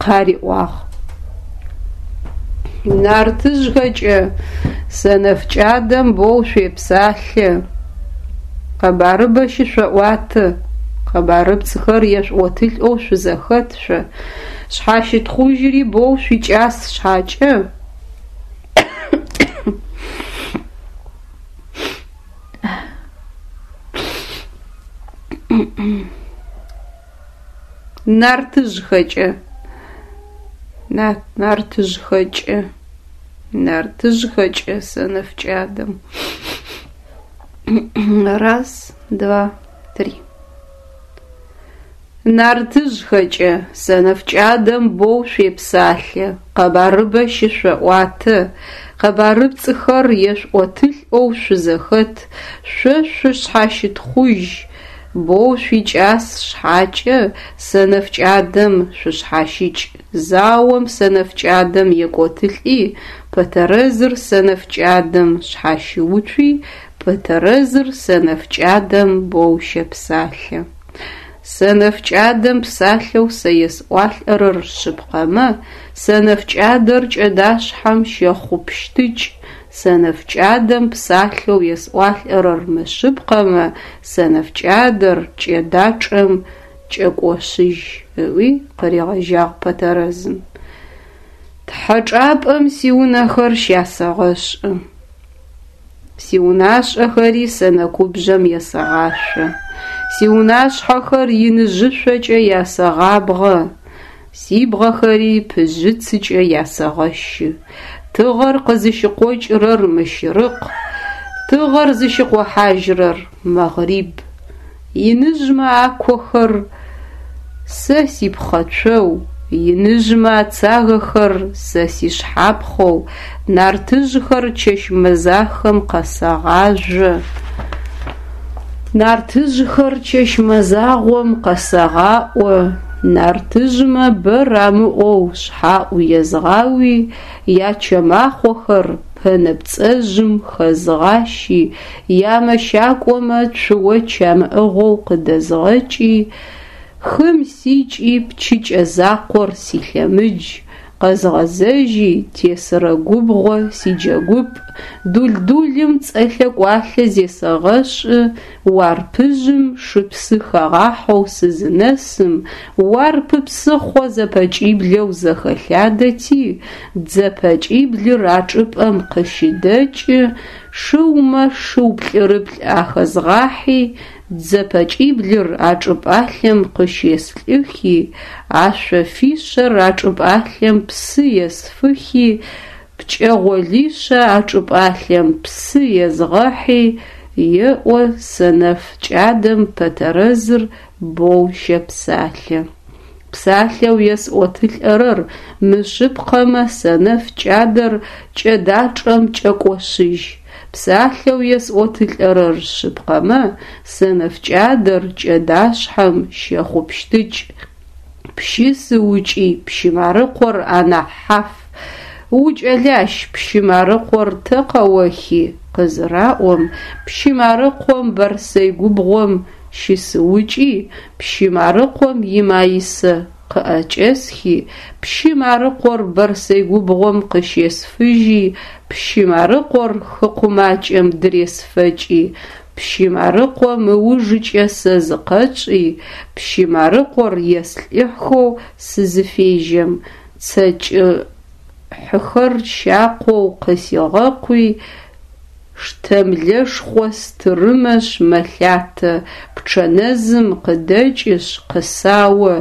къариӏуагъ. Нартыжъхэкӏэ, сэнэф кӏадэм боу шъуепсалъэ, къэбарыбэ щышъоӏуатэ, къэбарыпцӏхэр ешъуӏотылӏэу шъузэхэт шъо, шъхьащытхъужьыри боу шъуикӏас шъхьакӏэ, Нартыжъхэкӏэ, нартыжъхэкӏэ, нартыжъхэкӏэ сэнэф кӏадэм. Раз, два, три. Нартыжъхэкӏэ, сэнэф кӏадэм боу шъуепсалъэ, къэбарыбэ щышъоӏуатэ, къэбарыпцӏыхэр ешъуӏотылӏэу шъузэхэт, шъо шъушъхьащытхъужь, боу шъуикӏас шъхьакӏэ, сэнэф кӏадэм шъушъхьащыкӏ. Заом сэнэф кӏадэм екӏотылӏи, Пэтэрэзыр сэнэф кӏадэм шъхьащыуцуи, Пэтэрэзыр сэнэф кӏадэм боу щэпсалъэ. Сэнэф кӏадэм псалъэу сэ есӏуалӏэрэр шъыпкъэмэ, сэнэф кӏадэр кӏэдашъхьэм щэхъупщтыкӏ, сэнэф кӏадэм псалъэу есӏуалӏэрэр мышъыпкъэмэ, сэнэф кӏадэр кӏэдачӏэм кӏэкӏошъыжь, ыӏуи къыригъэжьагъ Пэтэрэзым. Тхьэ чӏапӏэм сиунэхэр щясэгъэшӏы. Сиунашӏэхэри сэнэкубжъэм есэгъашъо. Сиунашъхьэхэр иныжъышъокӏэ ясэгъабгъэ, сибгъэхэри пыжъыцыкӏэ ясэгъэщы. Тыгъэр къызыщыкъокӏырэр мыщырыкъ, тыгъэр зыщыкъохьажьырэр мэгъриб. Иныжъмэ акохэр сэ сипхъэцоу, иныжъмэ ацагэхэр сэ сишъхьапхъэу, нартыжъхэр чэщ мэзахэм къэсэгъажъо. Нартыжъхэр чэщ мэзагъом къэсэгъаӏо, нартыжъмэ бэ рамыӏоу шъхьаӏу езгъауи, ячэмахъохэр пэнэпцӏэжъым хэзгъащи, ямэщакӏомэ цуоч амыӏыгъэу къыдэзгъэкӏи, хым сикӏи пчыкӏэ закъор силъэмыдж, къэзгъэзэжьи тесырэ губгъо сиджэгупӏ, Дул-Дулым цӏэлъэ-кӏуалъэ зесэгъэшӏы, Уарпыжъым шыпсы хагъахьэу сызынэсым, Уарпы псыхъо зэпэкӏиблэу зэхэлъадэти, дзэ пэкӏиблыр а чӏыпӏэм къыщыдэкӏы, шыумэ шыу плӏырыплӏ ахэзгъахьи, дзэ пэкӏиблыр а чӏыпӏалъэм къыщеслӏыхи, ашъофишъэр а чӏыпӏалъэм псы есфыхи, пкӏэгъолишъэ а чӏыпӏалъэм псы езгъэхьи, еӏо сэнэф кӏадэм Пэтэрэзыр боу щэпсалъэ. Псалъэу есӏотылӏэрэр мышъыпкъэмэ, сэнэф кӏадэр кӏэдачӏэм кӏэкӏошъыжь. Псалъэу есӏотылӏэрэр шъыпкъэмэ, сэнэф кӏадэр кӏэдашъхьэм щэхъупщтыкӏ. Пщы сыукӏи, пщы Марыкъор анахь хьаф. Укӏэлащ, пщы Марыкъор тэ къэохи? Къызыраӏом, пщы Марыкъом Бэрсэй губгъом щысыукӏи, пщы Марыкъом имаисэ къыӏэкӏэсхи, пщы Марыкъор Бэрсэй губгъом къыщесфыжьи, пщы Марыкъор хыкъумакӏэм дыресфэкӏи, пщы Марыкъом ыужыкӏэ сэ зыкъэчӏи, пщы Марыкъор еслӏыхьэу сызыфежьэм, цэ кӏыхьыхэр щакъоу къысигъэкъуи, Штэмлэшхъо стырымэшъ мэлъатэ, Пчъэнэзым къыдэкӏышъ къысао,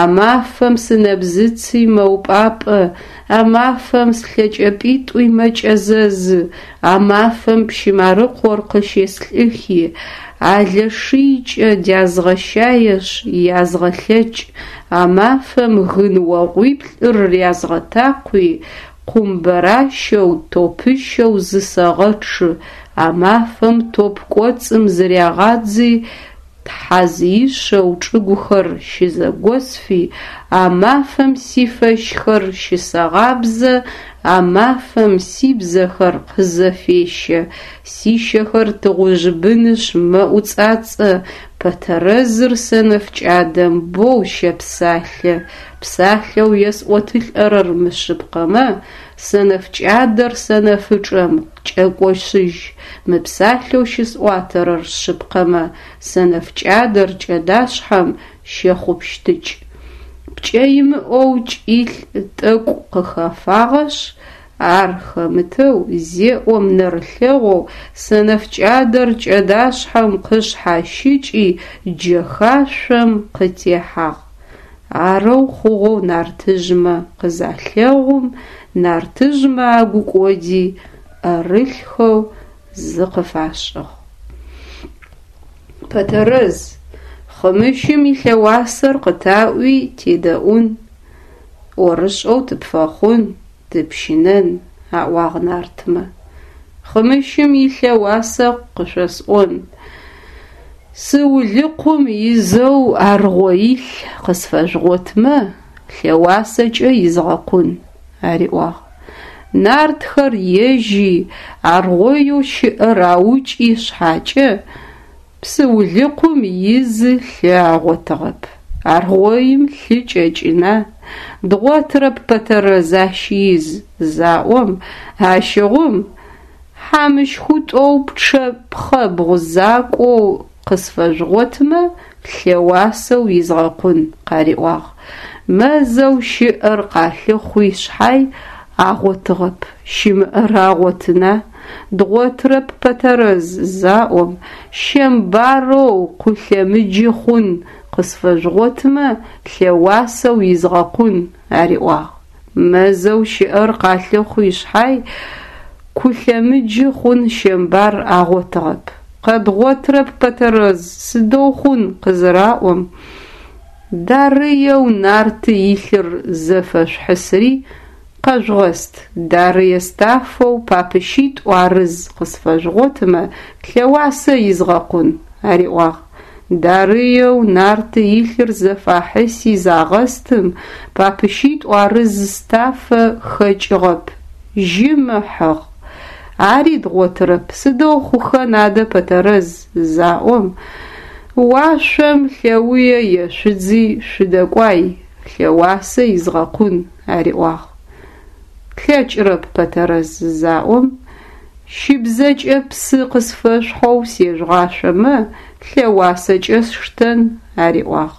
А мафэм сынэбзыци мэупӏапӏэ, А мафэм слъэкӏэпӏитӏуи мэкӏэзэзы, А мафэм пщы Марыкъор къыщеслӏыхи, Алэшыйкӏэ дязгъэщаешъ язгъэлъэкӏ, А мафэм гын огъуиплӏыр рязгъэтакъуи, Къумбэращэу топыщэу зысэгъэчъы, А мафэм топ кӏоцӏым зырягъадзи, Тхьазыищэу чӏыгухэр щызэгосфи, А мафэм сифэщхэр щысэгъабзэ, А мафэм сибзэхэр къызэфещэ, Сищэхэр тыгъужъ бынышъ мэӏуцӏацӏэ, Пэтэрэзыр сэнэф кӏадэм боу щэпсалъэ, Псалъэу есӏотылӏэрэр мышъыпкъэмэ, Сэнэф кӏадэр сэнэфычӏэм кӏэкӏошъыжь, Мы псалъэу щысӏуатэрэр шъыпкъэмэ, Сэнэф кӏадэр кӏэдашъхьэм щэхъупщтыкӏ. Пкӏэ имыӏэу кӏилӏ тӏэкӏу къыхэфагъэшъ, Ар хэмытэу зеӏом нэрылъэгъоу Сэнэф кӏадэр кӏэдашъхьэм къышъхьащыкӏи джэхашъом къытехьагъ. Арэу хъугъэу нартыжъмэ къызалъэгъум, Нартыжъмэ агу кӏоди ӏэрылъхэу зыкъыфашӏыгъ. Пэтэрэз, Хъымыщым илъэуасэр къытаӏуи тедэӏун, ӏорышӏэу тыпфэхъун, тыпщынэн, аӏуагъ нартмэ. Хъымыщым илъэуасэ къышъосӏон. Сыулыкъум изэу аргъоилъ къысфэжъугъотмэ, лъэуасэкӏэ изгъэкъун, ариӏуагъ. Нартхэр ежьи, аргъоеу щыӏэр аукӏи шъхьакӏэ, псыулыкъум изы лъы агъотыгъэп. Аргъоим лъы кӏэкӏына, дгъотырэп Пэтэрэз ащ из, заӏом, ащыгъум хьамыщхутӏоу пчъэ пхъэбгъу закӏоу къысфэжъугъотмэ, лъэуасэу изгъэкъун, къариӏуагъ. Мэзэу щыӏэр къалъыхъуи шъхьай агъотыгъэп, щымыӏэр агъотына? Дгъотырэп Пэтэрэз, заӏом, щэмбароу къулъэмыджы хъун къысфэжъугъотмэ, лъэуасэу изгъэкъун, ариӏуагъ. Мэзэу щыӏэр къалъыхъуи шъхьай, кулъэмыджы хъун щэмбар агъотыгъэп. Къэдгъотырэп, Пэтэрэз, сыдэу хъун къызыраӏом, Дарыеу нарты илъыр зэфэшъухьысри къэжъугъэст, дарые стафэу папыщитӏу арыз къысфэжъугъотымэ, лъэуасэ изгъэкъун, ариӏуагъ. Дарыеу нарты илъыр зэфахьыси загъэстым, папыщитӏу арыз стафэ хэкӏыгъэп, жьым ыхьыгъ. Ари дгъотырэп, сыдэу хъухэн адэ Пэтэрэз, заӏом, уашъом лъэуе ешъудзи шъудэкӏуай, лъэуасэ изгъэкъун, ариӏуагъ. Тлъэкӏырэп, Пэтэрэз, заӏом, щыбзэкӏэ псы къысфэшъухьэу сежъугъашъомэ, лъэуасэкӏэ сштэн, ариӏуагъ.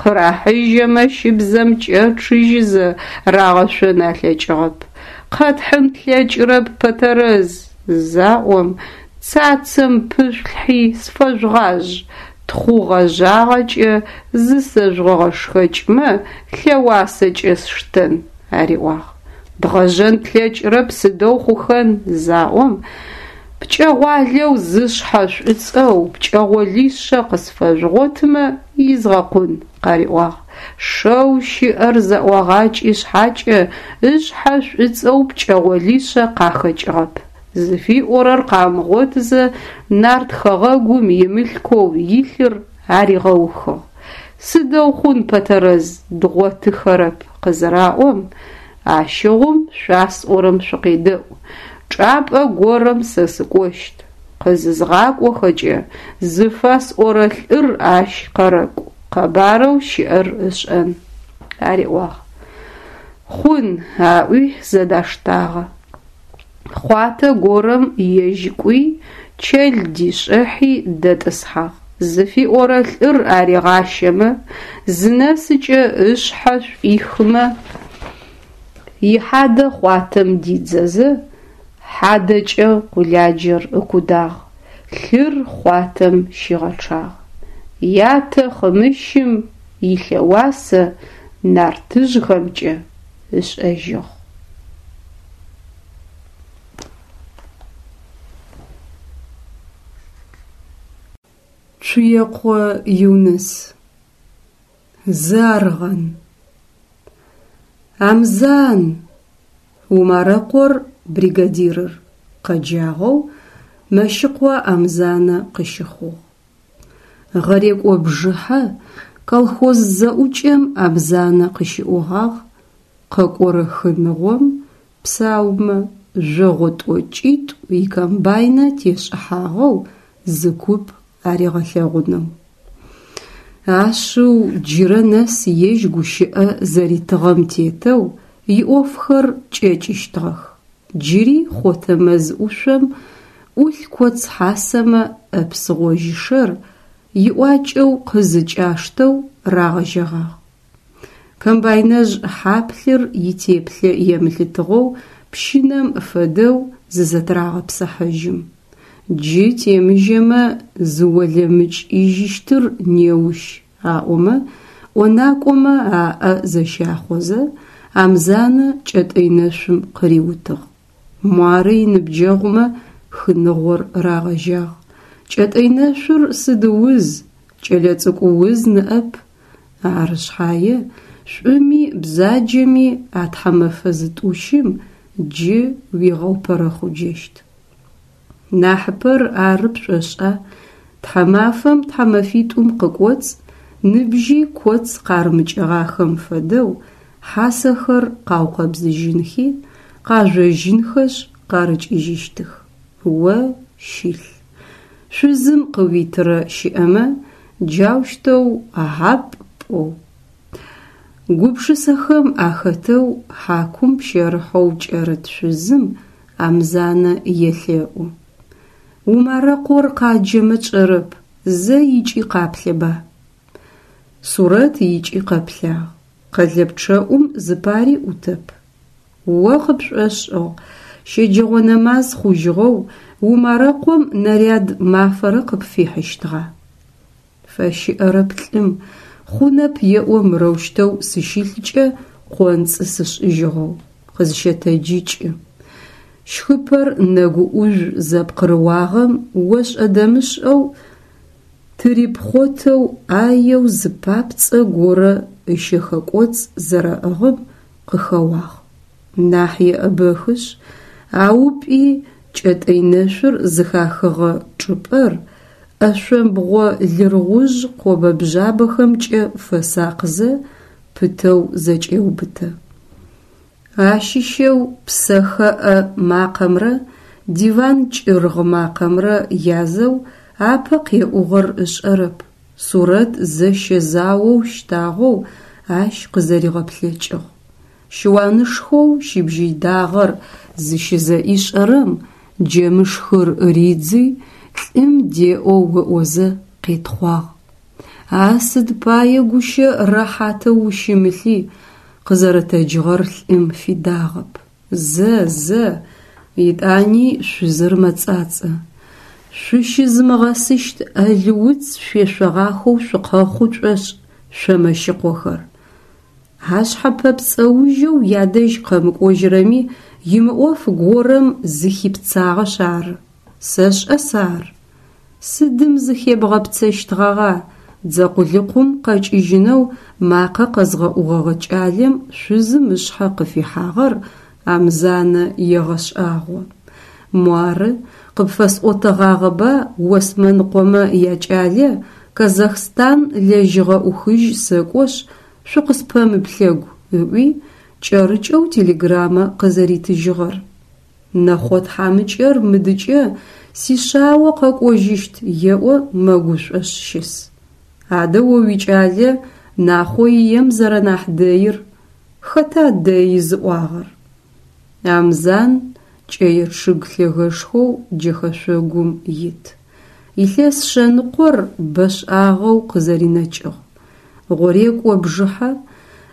Къырахьыжьэмэ щыбзэм кӏэчъыжьызэ рагъэшъон алъэкӏыгъэп. Къэтхьын тлъэкӏырэп, Пэтэрэз, заӏом, цацэм пышъулъхьи сфэжъугъажъ, тхъу гъэжъагъэкӏэ зысэжъугъэгъэшхэкӏмэ, лъэуасэкӏэ сштэн, ариӏуагъ. Дгъэжъэн тлъэкӏырэп, сыдэу хъухэн, заӏом, пкӏэгъуалэу зышъхьэ шӏуцӏэу пкӏэгъолишъэ къысфэжъугъотымэ, изгъэкъун, къариӏуагъ. Шэу щыӏэр зэӏуагъакӏи шъхьакӏэ, ышъхьэ шӏуцӏэу пкӏэгъолишъэ къахэкӏыгъэп. Зыфиӏорэр къамыгъотызэ, нарт хэгъэгум имылъкоу илъыр аригъэухыгъ. Сыдэу хъун, Пэтэрэз, дгъотыхэрэп къызыраӏом, ащыгъум шъуасӏорэм шъукъедэӏу, чӏапӏэ горэм сэ сыкӏощт, къызызгъакӏохэкӏэ, зыфэсӏорэ лӏыр ащ къэрэкӏу, къэбарэу щыӏэр ышӏэн, ариӏуагъ. Хъун, аӏуи зэдаштагъэ. Хъуатэ горэм ежь кӏуи, чэл дишӏыхьи дэтӏысхьагъ. Зыфиӏорэ лӏыр аригъащэмэ, зынэсыкӏэ ышъхьэ шӏуихымэ, ихьадэ хъуатэм дидзэзэ, хьадэкӏэ къуладжэр ыкудагъ, лъыр хъуатэм щигъэчъагъ. Ятэ Хъымыщым илъэуасэ нартыжъхэмкӏэ ышӏэжьыгъ. Цуекъо Юныс. Зы аргъэн. Амзан! Умарэкъор бригадирыр къэджагъэу Мэщыкъо Амзанэ къыщыхъугъ. Гъэрекӏо бжыхьэ колхоз зэӏукӏэм Амзанэ къыщиӏогъагъ къэкӏорэ хыныгъом псаумэ жъогъо тӏокӏитӏу икомбайнэ тешӏыхьагъэу зы куп аригъэлъэгъунэу. Ашъыу джырэ нэс ежь гущыӏэ зэритыгъэм тетэу иӏофхэр кӏэкӏыщтыгъэх. Джыри хъотэ мэз ӏушъом ӏулъ коц хьасэмэ ӏэпс гъожьышэр иӏуакӏэу къызыкӏаштэу рагъэжьэгъагъ. Комбайнэжъ хьаплъыр итеплъэ емылъытыгъэу пщынэм фэдэу зызэтырагъэпсыхьажьым. Джы темыжьэмэ зыолэмыкӏыжьыщтыр неущ аӏомэ, ӏонакӏомэ аӏэ зэщахъозэ, Амзанэ кӏэтӏый нэшъум къыриутыгъ. Муары иныбджэгъумэ хыныгъор рагъэжьагъ. Кӏэтӏый нэшъур сыд уз, кӏэлэцӏыкӏу уз ныӏэп. Ары шъхьае, шӏуми бзаджэми а тхьэмэфэ зытӏущым джы уигъэупэрэхъуджэщт. Нахьыпэр ары пшӏошӏа, тхьэмафэм тхьэмэфитӏум къыкӏоцӏ ныбжьи коц къарымыкӏыгъахэм фэдэу хьасэхэр къаукъэбзыжьынхи, къажъожьынхэшъ къарыкӏыжьыщтых. О щылъ. Шъузым къыуитырэ щыӏэмэ, джаущтэу хьапӏ пӏоу. Гупшысэхэм ахэтэу хьакум пщэрыхьэу кӏэрыт шъузым Амзанэ елъэӏу. Умарэкъор къаджэмэ тшӏэрэп, зэ икӏи къаплъэба. Сурэт икӏи къэплъагъ. Къэлэпчъэӏум зыпари ӏутэп. О къыпшӏошӏыгъ, щэджэгъо нэмаз хъужьыгъэу Умарэкъом наряд мафэрэ къыпфихьыщтыгъа? Фэщыӏэрэп лӏым, хъунэп еӏо мырэущтэу сыщылъкӏэ къонцӏы сышӏыжьыгъэу, къызщэтэджыкӏы. Щхыпэр нэгу ӏужъу зэпкъырыуагъэм ошӏэ-дэмышӏэу тырипхъотэу ӏаеу зы папцӏэ горэ ышэхэкӏоцӏ зэрэӏыгъым къыхэуагъ. Нахь еӏэбэхышъ, аупӏи кӏэтӏый нэшъур зыхахыгъэ чӏыпӏэр ӏэшъомбгъо лыргъужъ къобэ-бжъабэхэмкӏэ фэсакъзэ пытэу зэкӏеубытэ. Ащыщэу псэхэӏэ макъэмрэ диван кӏыргъ макъэмрэ язэу апэ къеӏугъэр ышӏэрэп, Сурэт зэщэ-заоу щтагъэу ащ къызэригъэплъэкӏыгъ. Щыуанышхоу щыбжьый дагъэр зыщызэӏишӏэрэм джэмышхыр ридзи, лӏым деӏоу ыӏозэ къетхъуагъ. А сыд пае гущэ рэхьатэу ущымылъи, къызэрэтэджыгъэр лӏым фидагъэп. Зэ, зэ, етӏани шъузыр мэцӏацӏэ. Шъущызымыгъэсыщт ӏэл уц шъуешъогъахэу шъукъэхъу шӏошӏ шъо Мэщыкъохэр. Ашъхьэ пэпцӏэужьэу ядэжь къэмыкӏожьырэми имыӏоф горэм зыхипцагъэшъ ары. Сэшӏэ сэ ар. Сыдым зыхебгъэпцэщтгъэгъа? Дзэ къулыкъум къэкӏыжьынэу макъэ къэзгъэӏугъэгъэ кӏалэм шъузым ышъхьэ къыфихьагъэр Амзанэ егъэшӏагъо. Муары, къыпфэсӏотэгъагъэба Осмэныкъомэ якӏалэ Казахстан лэжьыгъэ ӏухыжь сэкӏошъ, шъукъыспэмыплъэгу ыӏуи, кӏэрыкӏэу телеграммэ къызэритыжьыгъэр? Нэхъо тхьамыкӏэр мыдыкӏэ сишъао къэкӏожьыщт еӏо мэгушӏошъ щыс. Адэ о уикӏалэ Нахъо ием зэрэнахь дэир хэта дэи зыӏуагъэр? Амзан кӏэе чъыг лъэгэшхоу джэхэшъогум ит. Илъэс шъэныкъор бэшӏагъэу къызэринэкӏыгъ. Гъорекӏо бжыхьэ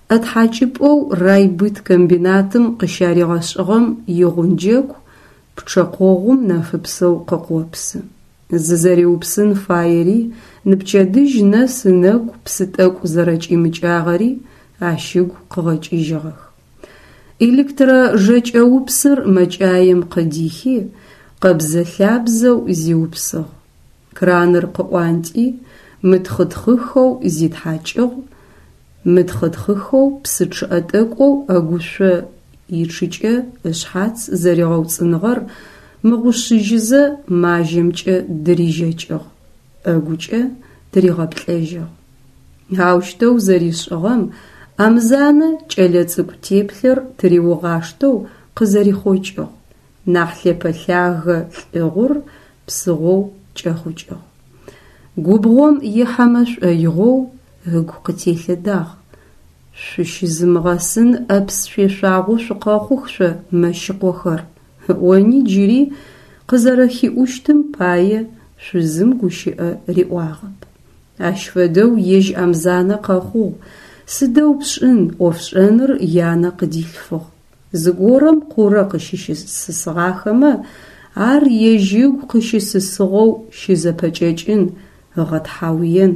ӏэтхьакӏыпӏэу райбыткомбинатым къыщаригъэшӏыгъэм игъунджэку пчъэ къогъум нэфыпсэу къыкъопсы. Зызэриупсын фаери, ныпчэдыжь нэс ынэгу псы тӏэкӏу зэрэкӏимыкӏагъэри ащ ыгу къыгъэкӏыжьыгъэх. Электро-жэкӏэупсыр мэкӏаем къыдихи, къэбзэ-лъабзэу зиупсыгъ. Краныр къыӏуантӏи, мытхъытхъыхэу зитхьакӏыгъ, мытхъытхъыхэу псы чъыӏэ тӏэкӏоу ӏэгушъо ичъыкӏэ ышъхьац зэригъэуцӏыныгъэр мыгъушъыжьызэ мажьэмкӏэ дырижэкӏыгъ, ӏэгукӏэ тыригъэплӏэжьыгъ. Аущтэу зэришӏыгъэм Амзанэ кӏэлэцӏыкӏу теплъэр тыриугъаштэу къызэрихъокӏыгъ, нахь лъэпэлъагэ лӏыгъур псыгъоу кӏэхъукӏыгъ. Губгъом ихьэмэ шӏоигъоу ыгу къытелъэдагъ. Шъущызымыгъэсын ӏэпс шъуешъуагъэу шъукъэхъух шъо Мэщыкъохэр, ыӏони джыри къызэрэхиӏущтым пае шъузым гущыӏэ риӏуагъэп. Ащ фэдэу ежь Амзанэ къэхъугъ, сыдэу пшӏын, ӏофшӏэныр янэ къыдилъфыгъ. Зыгорэм къурэ къыщысысыгъахэмэ, ар ежь ыгу къыщысысыгъэу щызэпэкӏэкӏын, ыгъэтхьауен,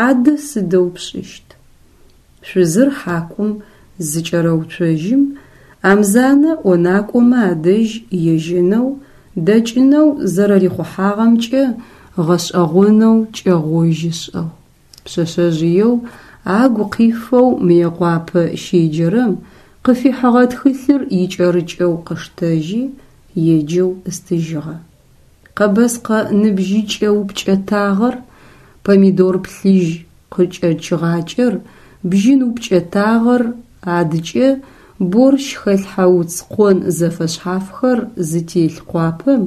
адэ сыдэу пшӏыщт? Шъузыр хьакум зыкӏэрэуцожьым, Амзанэ ӏонакӏомэ адэжь ежьэнэу, дэкӏынэу зэрэрихъухьагъэмкӏэ гъэшӏэгъонэу кӏэгъожь ышӏыгъ. Пшъэшъэжъыеу агу къифэу Мыекъуапэ щеджэрэм къыфихьыгъэ тхылъыр икӏэрыкӏэу къыштэжьи, еджэу ыстыжьыгъэ. Къэбэскъэ ныбжьыкӏэ упкӏэтагъэр, помидор плъыжь къыкӏэчыгъакӏэр, бжьын упкӏэтагъэр, адыкӏэ борщ хэлъхьэ уц къон зэфэшъхьафхэр зытелъ къуапэм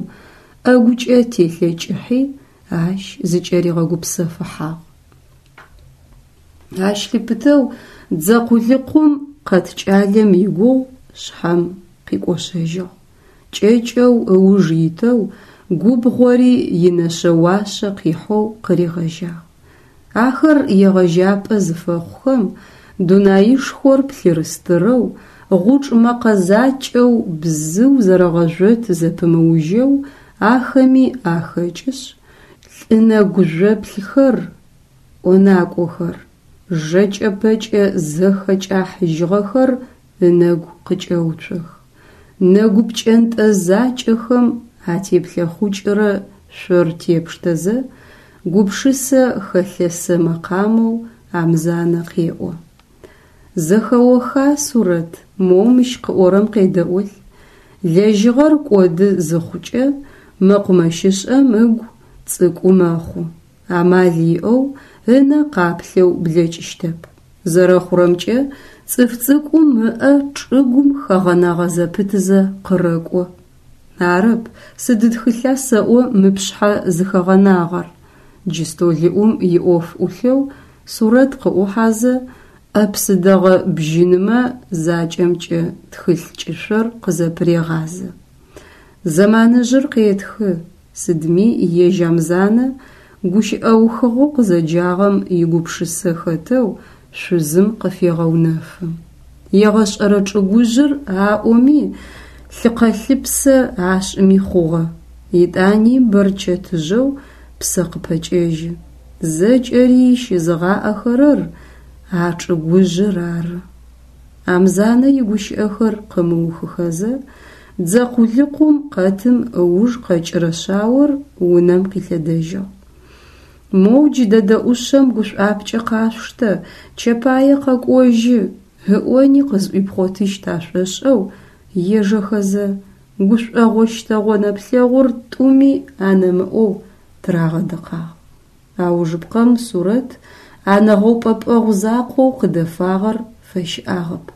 ӏэгукӏэ телъэкӏыхьи, ащ зыкӏэригъэгупсэфыхьагъ. Ащ лъыпытэу дзэ къулыкъум къэт кӏалэм игугъу шъхьэм къикӏошъэжьыгъ. Кӏэкӏэу ыуж итэу губгъори инэшъэ-уашъэ къихьэу къыригъэжьагъ. Ахэр егъэжьапӏэ зыфэхъухэм, дунаишхор плъырыстырэу, гъучӏ мэкъэ закӏэу бзыу зэрэгъэжъот зэпымыужьэу ахэми ахэкӏышъ, лӏы нэгу жъоплъхэр, ӏонакӏохэр, жэкӏэ-пэкӏэ зэхэкӏахьыжьыгъэхэр ынэгу къыкӏэуцох. Нэгу пкӏэнтӏэ закӏэхэм атеплъэхъукӏырэ шъор тепштэзэ, гупшысэ хэлъэсэ мэкъамэу Амзанэ къеӏо. Зэхэоха, Сурэт, моу мыщ къыӏорэм къедэӏолъ. Лэжьыгъэр кӏоды зыхъукӏэ, мэкъумэщышӏэм ыгу цӏыкӏу мэхъу. Амал иӏэу, ынэ къаплъэу блэкӏыщтэп. Зэрэхъурэмкӏэ, цӏыф цӏыкӏум ыӏэ чӏыгум хэгъэнэгъэ зэпытызэ къырэкӏо. Арэп, сыд тхылъа сэӏо мы пшъхьэ зыхэгъэнагъэр? Джы столыӏум иӏоф ӏулъэу Сурэт къыӏухьазэ, ӏэ псы дэгъэ бжьынымэ закӏэмкӏэ тхылъ кӏышъор къызэпырегъазэ. Зэманыжъыр къетхы, Сыдми ежь Амзанэ гущыӏэухыгъэу къызэджагъэм игупшысэ хэтэу шъузым къыфегъэунэфы. Егъэшӏэрэ чӏыгужъыр аӏоми, лъыкъэлъыпсэ ашӏыми хъугъэ, етӏани бэрчэтыжъэу псэ къыпэкӏэжьы. Зэкӏэри щызыгъаӏэхэрэр а чӏыгужъыр ары. Амзанэ игущыӏэхэр къымыухыхэзэ, дзэ къулыкъум къэтым ыуж къэкӏырэ шъаор унэм къилъэдэжьыгъ. Моу джыдэдэ ӏушъэм гушӏуапкӏэ къашъуштэ, Чэпае къэкӏожьы, ыӏони къызӏуипхъотыщт ашӏошӏэу ежэхэзэ, гушӏогъо-щтэгъо нэплъэгъур тӏуми анэмыӏоу тырагъэдыкъагъ. Аужыпкъэм Сурэт а нэгъэупӏэпӏэгъу закъоу къыдэфагъэр фэщыӏагъэп,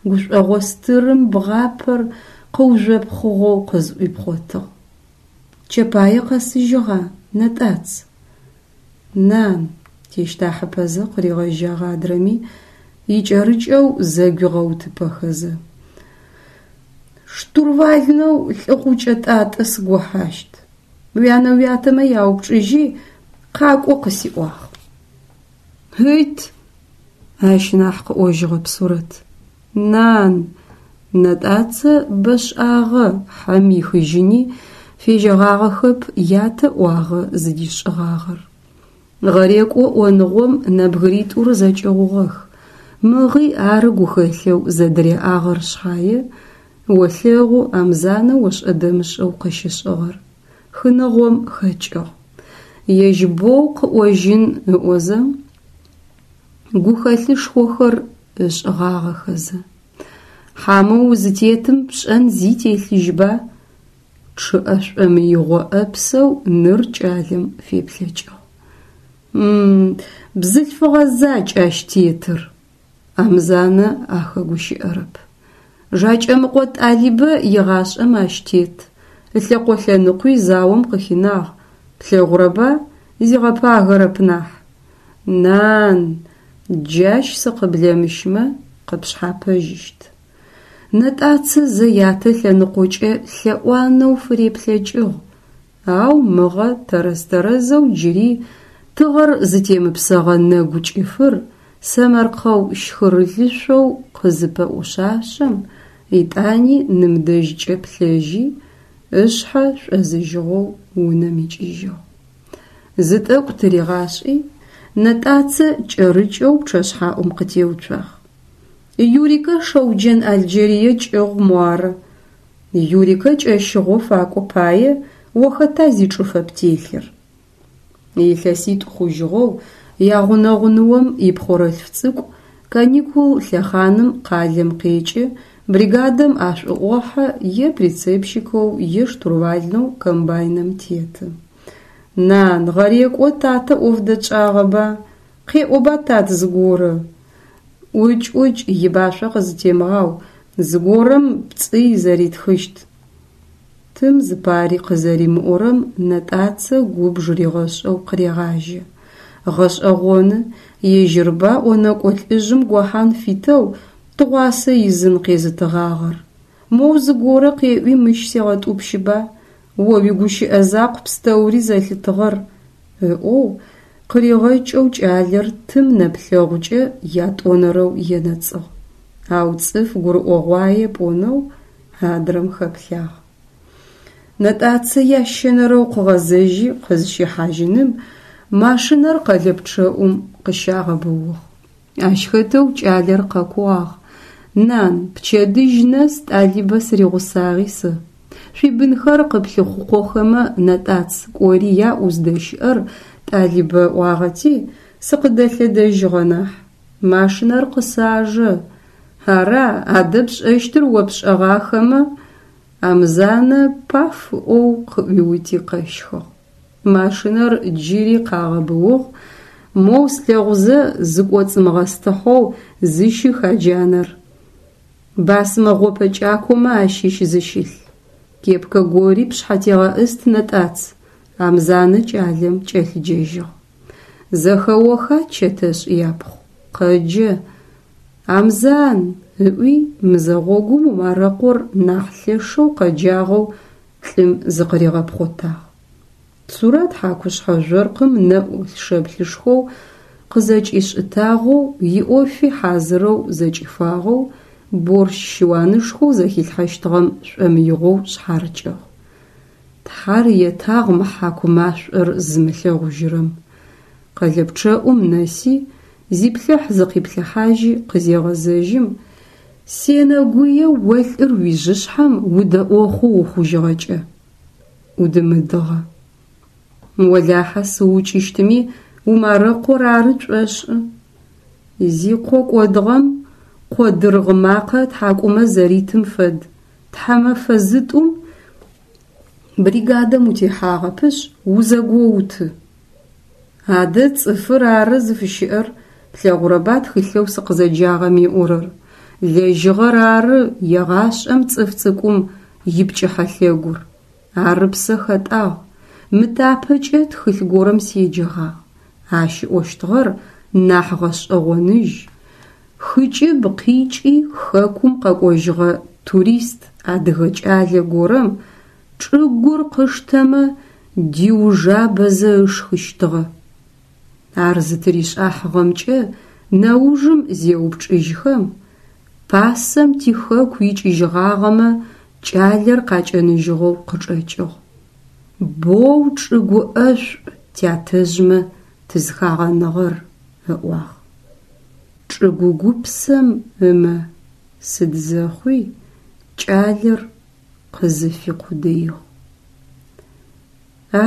гушӏогъо стырым бгъапэр къыужъопхъыгъэу къызӏуипхъотыгъ. Чэпае къэсыжьыгъа, Нэтӏац? Нан, тещтахьыпэзэ къыригъэжьагъ адрэми, икӏэрыкӏэу зэгуигъэутыпэхэзэ. Штурвальнэу Лӏыгъукӏэ Тӏатӏэ сыгохьащт. Уянэ-уятэмэ яупчӏыжьи, къакӏо къысиӏуагъ. Ыт! Ащ нахь къыӏожьыгъэп Сурэт. Нан! Нэтӏацэ бэшӏагъэ хьэм ихыжьыни фежьэгъагъэхэп ятэ ӏуагъэ зыдишӏыгъагъэр. Гъэрекӏо ӏоныгъом нэбгыритӏур зэкӏыгъугъэх. Мыгъи ары гухэлъэу зэдыряӏагъэр шъхьае, олъэгъу Амзанэ ошӏэ-дэмышӏэу къыщышӏыгъэр. Хыныгъом хэкӏыгъ. Ежь боу къыӏожьын ыӏозэ, гухэлъышхохэр ышӏыгъагъэхэзэ. Хьамэу узытетым пшӏэн зи телъыжьба? Чъыӏэ шӏомыигъо ӏэпсэу ныр кӏалэм феплъэкӏыгъ. М-м, бзылъфыгъэ закӏ ащ тетыр! Амзанэ ахэгущыӏэрэп. Жакӏэмыкъо Тӏалибэ игъашӏэм ащ тет, ылъэкъо лъэныкъуи заом къыхинагъ, плъэгъурэба, зигъэпагэрэп нахь. Нан, джащ сыкъыблэмыщмэ, къыпшъхьапэжьыщт. Нэтӏацэ зэ ятэ лъэныкъокӏэ лъэӏуанэу фыреплъэкӏыгъ, ау мыгъэ тэрэз-тэрэзэу джыри тыгъэр зытемыпсэгъэ нэгу кӏыфыр сэмэркъэу щхырылышъоу къызыпэӏушъашъэм, етӏани ным дэжькӏэ плъэжьи, ышъхьэ шӏозыжьыгъэу унэм икӏыжьыгъ. Зы тӏэкӏу тыригъашӏи, Нэтӏацэ кӏэрыкӏэу пчъэшъхьаӏум къытеуцуагъ. Юрикэ Шэуджэн Алджэрые кӏыгъу муары. Юрикэ кӏэщыгъо факӏо пае о хэта зичӏыфэ птелъыр? Илъэситӏу хъужьыгъэу ягъунэгъу ныом ипхъорэлъф цӏыкӏу каникул лъэхъаным къалэм къекӏы, бригадэм ашӏуӏохьэ е прицепщикэу е штурвальнэу комбайнэм теты. Нан, гъэрекӏо татэ ӏоф дэтшӏагъэба? Къеӏоба, тат, зыгорэ? ӏукӏ, ӏукӏ, ибашъо къызытемыгъау, зыгорэм пцӏый зэритхыщт. Тым зыпари къызэримыӏорэм Нэтӏацэ губж ригъэшӏэу къырегъажьэ. Гъэшӏэгъоны, ежьырба ӏонэкӏо лӏыжъым гохьан фитэу тыгъуасэ изын къезытыгъагъэр. Моу зыгорэ къеӏуи мыщ сегъэтӏупщыба, о уигущыӏэ закъу пстэури зэлъытыгъэр, ыӏоу, къыригъэкӏэу кӏалэр тым нэплъэгъукӏэ ятӏонэрэу енэцӏыгъ, ау цӏыф гурыӏогъуае пӏонэу адрэм хэплъагъ. Нэтӏацэ ящэнэрэу къыгъэзэжьи къызщихьажьыным машинэр къэлэпчъэӏум къыщагъэбыугъ. Ащ хэтэу кӏалэр къэкууагъ, Нан, пчэдыжь нэс Тӏалибэ сыригъусагъи сэ. Шъуибынхэр къыплъыхъукъохэмэ, Нэтӏац, кӏори яӏу здэщыӏэр Тӏалибэ ыӏуагъэти, сыкъыдэлъэдэжьыгъэ нахь. Машинэр къысажэ. Ара, адэ пшӏэщтыр о пшӏэгъахэмэ? Амзанэ паф ыӏоу къыӏуиути къэщхыгъ. Машинэр джыри къагъэбыугъ, моу слъэгъузэ зыкӏоцӏымыгъэстыхьэу зыщых а джанэр. Басмэ гъопэ кӏакомэ ащыщ зыщылъ. Кепкэ гори пшъхьэ тегъэӏыст, Нэтӏац, Амзанэ кӏалэм кӏэлъыджэжьыгъ. Зэхэоха, Чэтэшӏ япхъу, къэджэ. Амзан! ыӏуи, мызэгъогум Умарэкъор нахь лъэшэу къэджагъэу лӏым зыкъыригъэпхъотагъ. Сурэт хьакушъхьэ жъоркъым нэӏу шэплъышхоу къызэкӏишӏытагъэу, иӏофи хьазырэу зэкӏифагъэу, борщ щыуанышхоу зэхилъхьэщтыгъэм шӏомыигъоу шъхьарыкӏыгъ. Тхьар етагъ мы хьаку машӏор зымылъэгъужьырэм. Къэлэпчъэӏум нэси, зиплъыхь-зыкъиплъыхьажьи къызегъэзэжьым, Сенэгуе о лӏыр уижъышъхьэм удэӏохъу ухъужьыгъэкӏэ. ӏудымыдыгъэ. Олахьэ сыукӏыщтыми Умарэкъор ары тшӏошӏы. Зикъо кӏодыгъэм къо дыргъ макъэ ытхьакӏумэ зэритым фэд, тхьэмэфэ зытӏум бригадэм утехьагъэпышъ, узэгоуты. Адэ цӏыфыр ары зыфыщыӏэр, плъэгъурэба тхылъэу сыкъызэджагъэм ыӏорэр. Лэжьыгъэр ары егъашӏэм цӏыф цӏыкӏум ипкӏыхьэлъэгур. Ар ыпсэ хэтӏагъ. Мы тапэкӏэ тхылъ горэм седжэгъагъ. Ащ ыӏощтыгъэр нахь гъэшӏэгъоныжь. Хыкӏыб къикӏи хэкум къэкӏожьыгъэ турист адыгэ кӏалэ горэм чӏыгур къыштэмэ диужабэзэ ышхыщтыгъэ. Ар зытыришӏахьыгъэмкӏэ нэужым зеупчӏыжьхэм, пасэм тихэку икӏыжьыгъагъэмэ кӏалэр къакӏэныжьыгъэу къычӏэкӏыгъ. Боу чӏыгу ӏэшӏу тятэжъмэ тызхагъэныгъэр, ыӏуагъ. Чӏыгу гупсэм ымэ сыд зэхъуи кӏалэр къызыфикъудыигъ.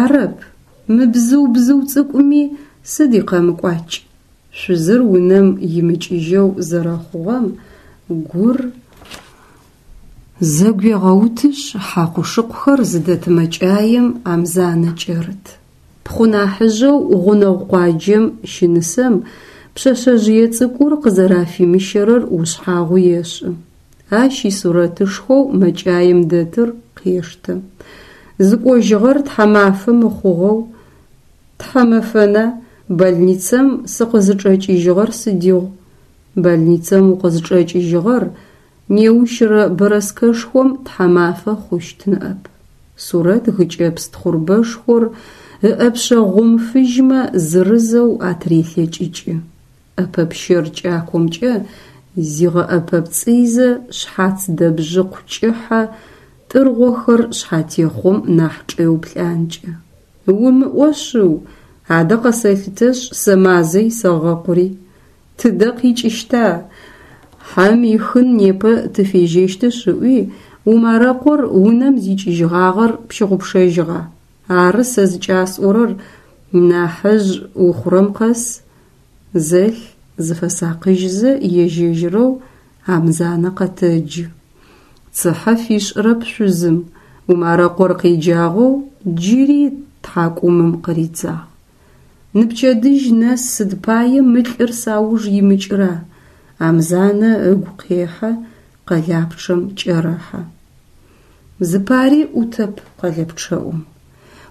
Арэп, мы бзыу бзыу цӏыкӏуми сыд икъэмыкӏуакӏ? Шъузыр унэм имыкӏыжьэу зэрэхъугъэм гур зэгуегъэутышъ, хьакъу-шыкъухэр зыдэт мэкӏаем Амзанэ кӏэрыт. Пхъу нахьыжъэу гъунэгъу къуаджэм щынысэм пшъэшъэжъые цӏыкӏур къызэрафимыщэрэр ушъхьагъу ешӏы. Ащ исурэтышхоу мэкӏаем дэтыр къештэ. Зыкӏожьыгъэр тхьэмафэ мыхъугъэу, тхьэмэфэна, больницэм сыкъызычӏэкӏыжьыгъэр сыдигъу? Больницэм укъызычӏэкӏыжьыгъэр неущрэ бэрэскэшхом тхьэмафэ хъущт ныӏэп. Сурэт гыкӏэпс тхъурбэшхор ыӏэпшъэ гъум фыжьмэ зырызэу атырелъэкӏыкӏы. ӏэпэ пщэр кӏакомкӏэ зигъэӏэпэпцӏыйзэ шъхьац дэбжъыкъу кӏыхьэ тӏыргъохэр шъхьатехъом нахь чӏеуплӏанкӏэ. Умыӏо шъыу, адэ къэсэлъытэшъ сэ мазэ исэгъэкъури. Тыдэ къикӏыщта? Хьэм ихын непэ тыфежьэщтышъ ыӏуи, Умарэкъор унэм зикӏыжьыгъагъэр пщыгъупшэжьыгъа? Ары сэ зыкӏасӏорэр нахьыжъ ухъурэм къэс Зэлъ, зыфэсакъыжьзэ ежь-ежьырэу Амзанэ къэтэджы. Цыхьэ фишӏырэп шъузым, Умарэкъор къеджагъэу джыри тхьакӏумым къыридзагъ. Ныпчэдыжь нэс сыд пае мы лӏыр сауж имыкӏыра? Амзанэ ыгу къехьэ, къэлапчъэм кӏэрэхьэ. Зыпари ӏутэп къэлэпчъэӏум.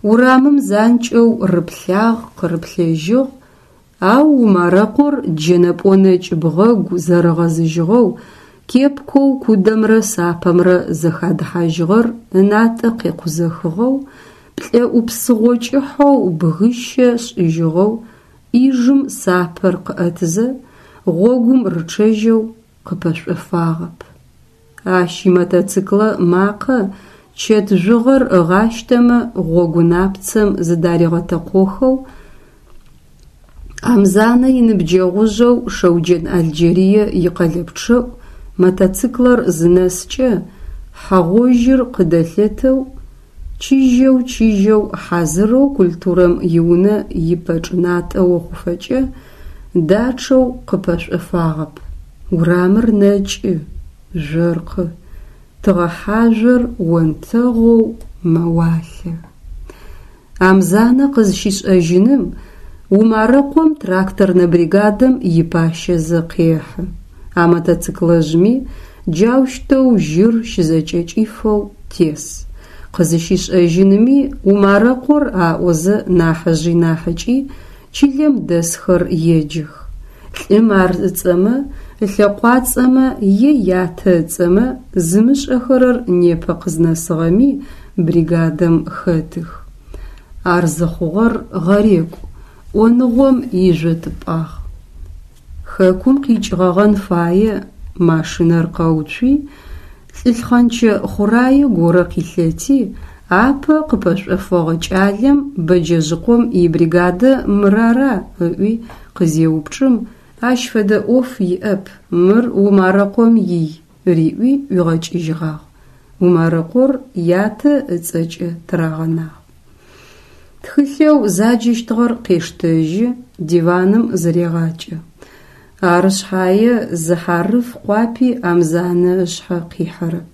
Урамым занкӏэу рыплъагъ, къырыплъэжьыгъ, Ау Умарэкъор джэнэ пӏонэкӏ бгъэгу зэрыгъэзыжьыгъэу, кепкэу кудэмрэ сапэмрэ зэхадыхьажьыгъэр ынатӏэ къекъузэхыгъэу, плӏэӏу псыгъо кӏыхьэу бгыщэ шӏыжьыгъэу, ӏижым сапэр къыӏэтызэ, гъогум рычъэжьэу къыпэшӏофагъэп. Ащ имотоциклэ макъэ чэт жъугъэр ыгъащтэмэ гъогу напцэм зыдаригъэтэкъохэу Амзанэ иныбджэгъужъэу Шэуджэн Алджэрые икъэлэпчъэӏу мотоциклэр зынэскӏэ, хьэ гъожьыр къыдэлъэтэу, чыжьэу-чыжьэу хьазырэу культурэм иунэ ипэчӏынатӏэ охъуфэкӏэ дачъэу къыпэшӏофагъэп. Урамыр нэкӏы, жъоркъы, тыгъэхьажъор онтэгъоу мэуалъэ. Амзанэ къызщишӏэжьыным Умарэкъом тракторнэ бригадэм ипащэзэ къехьы. А мотоциклэжъми джаущтэу жьыр щызэкӏэкӏифэу тес. Къызыщишӏэжьыными Умарэкъор аӏозэ нахьыжъи нахьыкӏи чылэм дэсхэр еджэх. Лӏым ар ыцӏэмэ, ылъэкъуацӏэмэ е ятэ ыцӏэмэ зымышӏэхэрэр непэ къызнэсыгъэми бригадэм хэтых. Ар зыхъугъэр гъэрекӏу, ӏоныгъом ижъотыпӏагъ. Хэкум къикӏыгъэгъэн фае машинэр къэуцуи, лӏы лъхъэнчэ хъурае горэ къилъэти, апэ къыпэшӏофэгъэ кӏалэм Бэджэжъыкъом ибригадэ мыр ара ыӏуи къызеупчӏым, ащ фэдэ ӏоф иӏэп, мыр Умарэкъом ий риӏуи ӏуигъэкӏыжьыгъагъ. Умарэкъор ятэ ыцӏэкӏэ тырагъэнагъ. Тхылъэу заджэщтыгъэр къештэжьы, диваным зырегъакӏэ. Ары шъхьае зы хьарыф къуапи Амзанэ ышъхьэ къихьэрэп.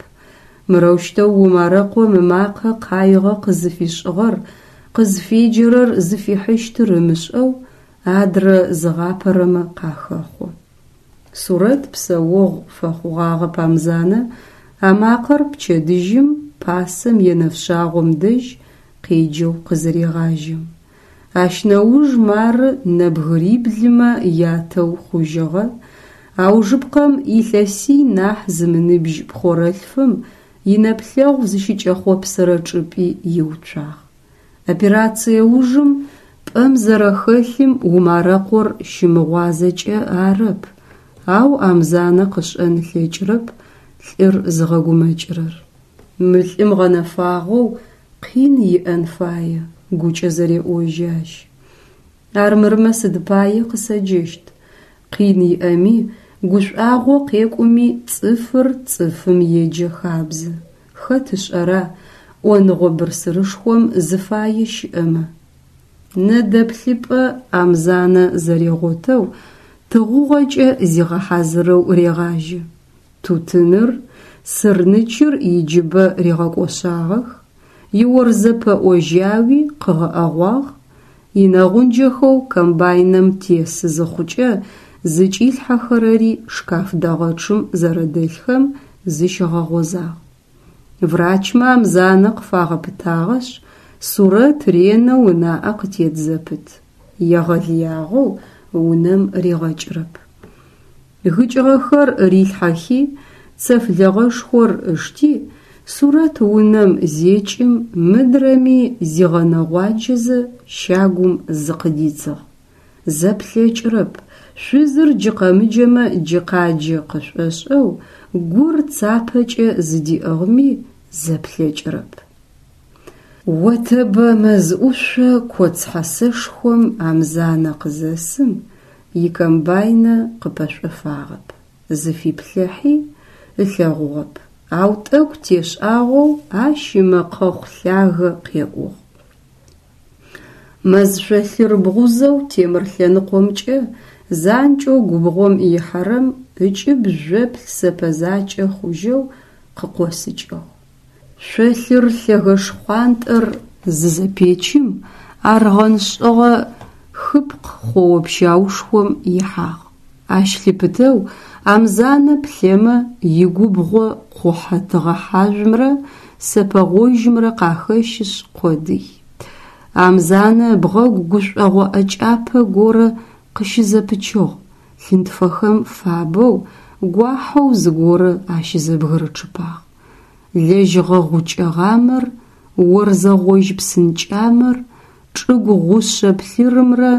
Мырэущтэу Умарэкъом ымакъэ къаигъэ къызыфишӏыгъэр, къызфеджэрэр зыфихьыщтыр ымышӏэу адрэ зыгъапэрэмэ къахэхъо. Сурэт псэогъу фэхъугъагъэп Амзанэ а макъэр пчэдыжьым пасэм е нэфшъагъом дэжь къеджэу къызырегъажьэм. Ащ нэуж мары нэбгыриблымэ ятэу хъужьыгъэ, аужыпкъэм илъэсий нахь зымыныбжь пхъорэлъфым инэплъэгъу зыщыкӏэхъопсырэ чӏыпӏи иуцуагъ. Операцие ужым пӏэм зэрэхэлъым Умарэкъор щымыгъуазэкӏэ арэп, ау Амзанэ къышӏэн ылъэкӏырэп лӏыр зыгъэгумэкӏырэр. Мы лӏым гъэнэфагъэу къин иӏэн фае, гукӏэ зэреӏожьы ащ. Армырмэ сыд пае къысэджэщт? Къин иӏэми, гушӏуагъо къекӏуми цӏыфыр цӏыфым еджэ хабзэ. Хэт ышӏэра, ӏоныгъо бырсырышхом зыфае щыӏэмэ? Нэдэплъыпӏэ Амзанэ зэрегъотэу, тыгъугъэкӏэ зигъэхьазырэу регъажьэ. Тутыныр, сырнычыр иджыбэ ригъэкӏошъагъэх, иорзэ пэӏо жьауи къыгъэӏэгъуагъ, инэгъунджэхэу комбайнэм тес зыхъукӏэ зыкӏилъхьэхэрэри шкаф дэгъэчъым зэрэдэлъхэм зыщигъэгъозагъ. Врачмэ Амзанэ къыфагъэпытагъэшъ, Сурэт ренэу ынаӏэ къытет зэпыт, егъэлыягъэу унэм ригъэкӏырэп. Гыкӏыгъэхэр рилъхьэхи, цэф лэгъэшхор ышти, Сурэт унэм зекӏым, мыдрэми зигъэнэгъуаджэзэ щагум зыкъыдидзыгъ. Зэплъэкӏырэп, шъузыр джы къэмыджэмэ джы къаджэ къышӏошӏэу, гур цапэкӏэ зыдиӏыгъми зэплъэкӏырэп. Отэбэ мэз ӏушъо коц хьэсэшхом Амзанэ къызэсым, икомбайнэ къыпэшӏофагъэп. Зыфиплъыхьи, ылъэгъугъэп, ау тӏэкӏу тешӏагъэу ащ ымэкъэхъу лъагэ къеӏугъ. Мэз шъолъыр бгъузэу темыр лъэныкъомкӏэ занкӏэу губгъом ихьэрэм ыкӏыб жъоплъ сэпэ закӏэ хъужьэу къыкъосыкӏыгъ. Шъолъыр лъэгэ шхъуантӏэр зызэпечым, аргъэн шӏыгъэ хыпкъ хъоо-пщаушхом ихьагъ. Ащ лъыпытэу Амзанэ плъэмэ, игубгъо къухьэ тыгъэхьажъумрэ сэпэ гъожьымрэ къахэщышъ къодый. Амзанэ ыбгъэгу гушӏогъо ӏэкӏапэ горэ къыщызэпычыгъ, лъынтфэхэм фабэу, гуахьэу зыгорэ ащызэбгырычъыпагъ. Лэжьыгъэ гъукӏэ гъамэр, орзэ гъожь псынкӏамэр, чӏыгу гъушъэ плъырымрэ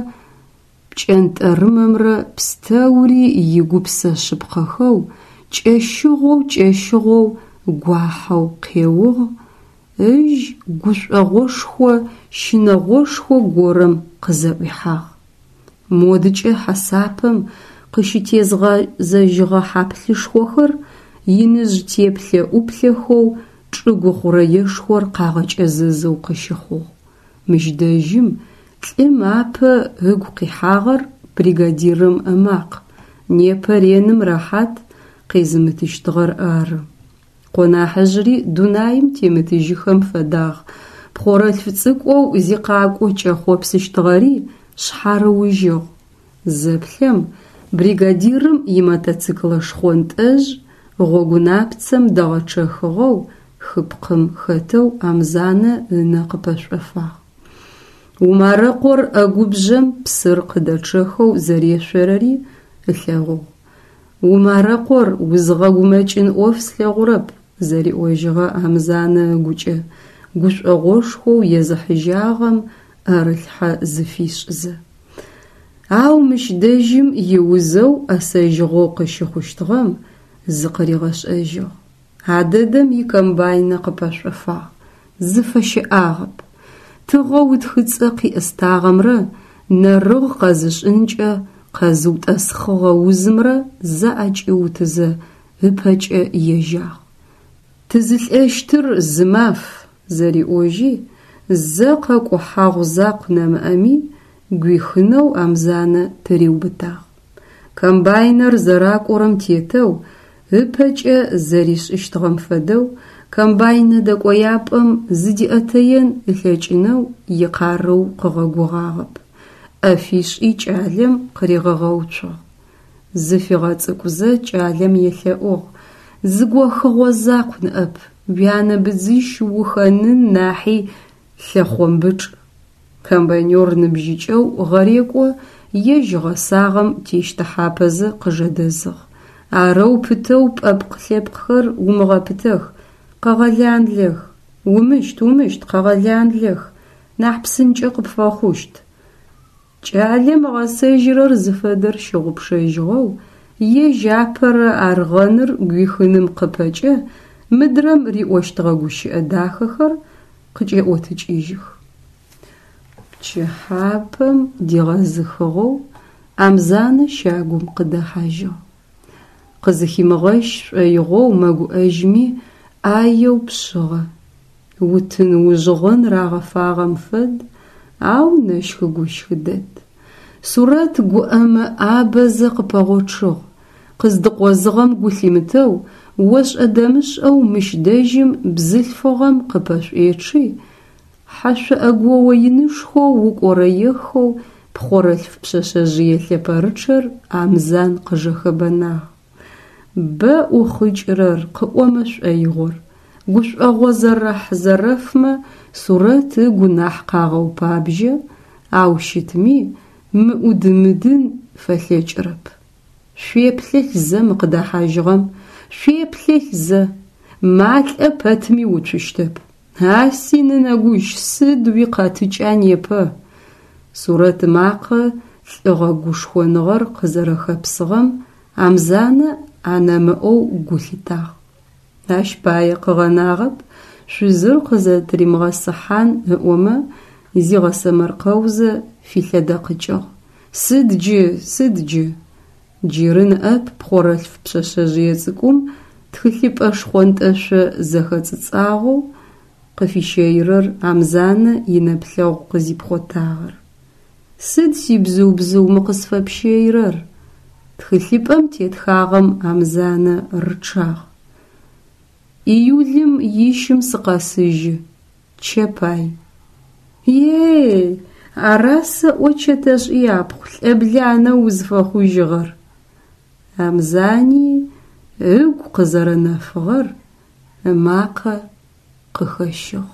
пкӏэнтӏэрымэмрэ пстэури игупсэ шъыпкъэхэу, кӏэщыгъоу-кӏэщыгъоу гуахьэу къеугъ, ыжь гушӏогъошхо щынэгъошхо горэм къызэӏуихьагъ. Модыкӏэ хьэсапэм къыщытезгъэзэжьыгъэ хьаплъышхохэр иныжъ теплъэ-ӏуплъэхэу чӏыгу хъурэешхор къагъэкӏэзэзэу къыщыхъугъ. Мыщ дэжьым лӏым апэ ыгу къихьагъэр бригадирым ымакъ, непэ реным рэхьат къезымытыщтыгъэр ары. Къо нахьыжъри дунаим темытыжьыхэм фэдагъ, пхъорэлъф цӏыкӏоу зикъакӏо кӏэхъопсыщтыгъэри шъхьарыужьыгъ. Зэплъэм, бригадирым имотоциклэ шхъонтӏэжъ гъогунапцэм дэгъэчъэхыгъэу хыпкъым хэтэу Амзанэ ынэ къыпэшӏофагъ. Умарэкъор ӏэгубжъэм псыр къыдэчъэхэу зэрешъорэри ылъэгъугъ. Умарэкъор, узгъэгумэкӏын ӏоф слъэгъурэп, зэриӏожьыгъэ Амзанэ ыгукӏэ, гушӏогъошхоу езыхьыжьагъэм ӏэрылъхьэ зыфишӏызэ. Ау мыщ дэжьым иузэу ӏэсэжьыгъэу къыщыхъущтыгъэм зыкъыригъэшӏэжьыгъ. А дэдэм икомбайнэ къыпэшӏофагъ, зыфэщыӏагъэп. Тыгъэу ытхыцӏэ къиӏыстагъэмрэ нэрыгъ къэзышӏынкӏэ къэзыутӏэсхъыгъэ узымрэ зэӏэкӏиутызэ, ыпэкӏэ ежьагъ. Тызылӏэщтыр зы маф, зэриӏожьи, Зэ къэкӏухьагъу закъу нэмыӏэми гуихынэу Амзанэ тыриубытагъ. Комбайнэр зэракӏорэм тетэу, ыпэкӏэ зэришӏыщтыгъэм фэдэу, комбайнэ дэкӏояпӏэм зыдиӏэтэен ылъэкӏынэу икъарыу къыгъэгугъагъэп. ӏэ фишӏи кӏалэм къыригъэгъэуцугъ. Зыфигъэцӏыкӏузэ кӏалэм елъэӏугъ, Зы гохыгъо закъу ныӏэп, уянэ быдзыщ ухэнын нахьи лъэхъомбычӏ. Комбайнер ныбжьыкӏэу гъэрекӏо ежь ыгъэсагъэм тещтыхьапэзэ къыжэдэзыгъ. Арэу пытэу пӏэпкъ-лъэпкъхэр умыгъэпытэх, къэгъэланлэх. Умыщт, умыщт, къэгъэланлэх, нахь псынкӏэ къыпфэхъущт. Кӏалэм ыгъэсэжьырэр зыфэдэр щыгъупшэжьыгъэу, ежь апэрэ аргъэныр гуихыным къыпэкӏэ мыдрэм риӏощтыгъэ гущыӏэ дахэхэр къыкӏеӏотыкӏыжьых. Пчыхьапэм дигъэзыхыгъэу Амзанэ щагум къыдэхьажьыгъ. Къызыхимыгъэщ шӏоигъоу мэгуӏэжьми, ӏаеу пшъыгъэ. Утын ужъгъын рагъэфагъэм фэд, ау нэщхы-гущхы дэд. Сурэт гуӏэмэ ӏабэзэ къыпэгъочъыгъ. Къыздыкъозыгъэм гу лъимытэу, ошӏэ-дэмышӏэу мыщ дэжьым бзылъфыгъэм къыпэшӏуечъи, хьэшъо ӏэгоо инышхоу укӏорэехэу пхъорэлъф пшъэшъэжъые лъэпэрычъэр Амзан къыжэхэбэнагъ. Бэ ӏухъыкӏырэр, къыӏомэ шӏоигъор. Гушӏогъо зэрэхь-зэрэфмэ Сурэт ыгу нахь къагъэупабжьэ, ау щытми, мыӏудымыдын фэлъэкӏырэп. Шъуеплъэлъ зэ мы къыдэхьажьыгъэм, шъуеплъэлъ зэ! Малӏэ пэтми уцущтэп. А си нынэгущ, сыд уикъэтыкӏа непэ? Сурэт ымакъэ лӏыгъэ гушхоныгъэр къызэрэхэпсыгъэм Амзанэ анэмыӏэу гу лъитагъ. Ащ пае къыгъэнагъэп шъузыр къызэтыримыгъэсыхьан ыӏомэ, зигъэсэмэркъэузэ филъэдэкъыкӏыгъ. Сыд джы, сыд джы? Джыры ныӏэп пхъорэлъф пшъэшъэжъые цӏыкӏум тхылъыпӏэ шхъонтӏэшъо зэхэцӏыцӏагъэу къыфищэирэр Амзанэ инэплъэгъу къызипхъотагъэр. Сыд сибзыу-бзыу мы къысфэпщэирэр? Тхылъыпӏэм тетхагъэм Амзанэ рычъагъ. Июлым ищым сыкъэсыжьы, Чэпай. Е-ей, ара сэӏо Чэтэшӏ япхъу лӏэбланэ узфэхъужьыгъэр? Амзани ыгу къызэрэнэфыгъэр ымакъэ къыхэщыгъ.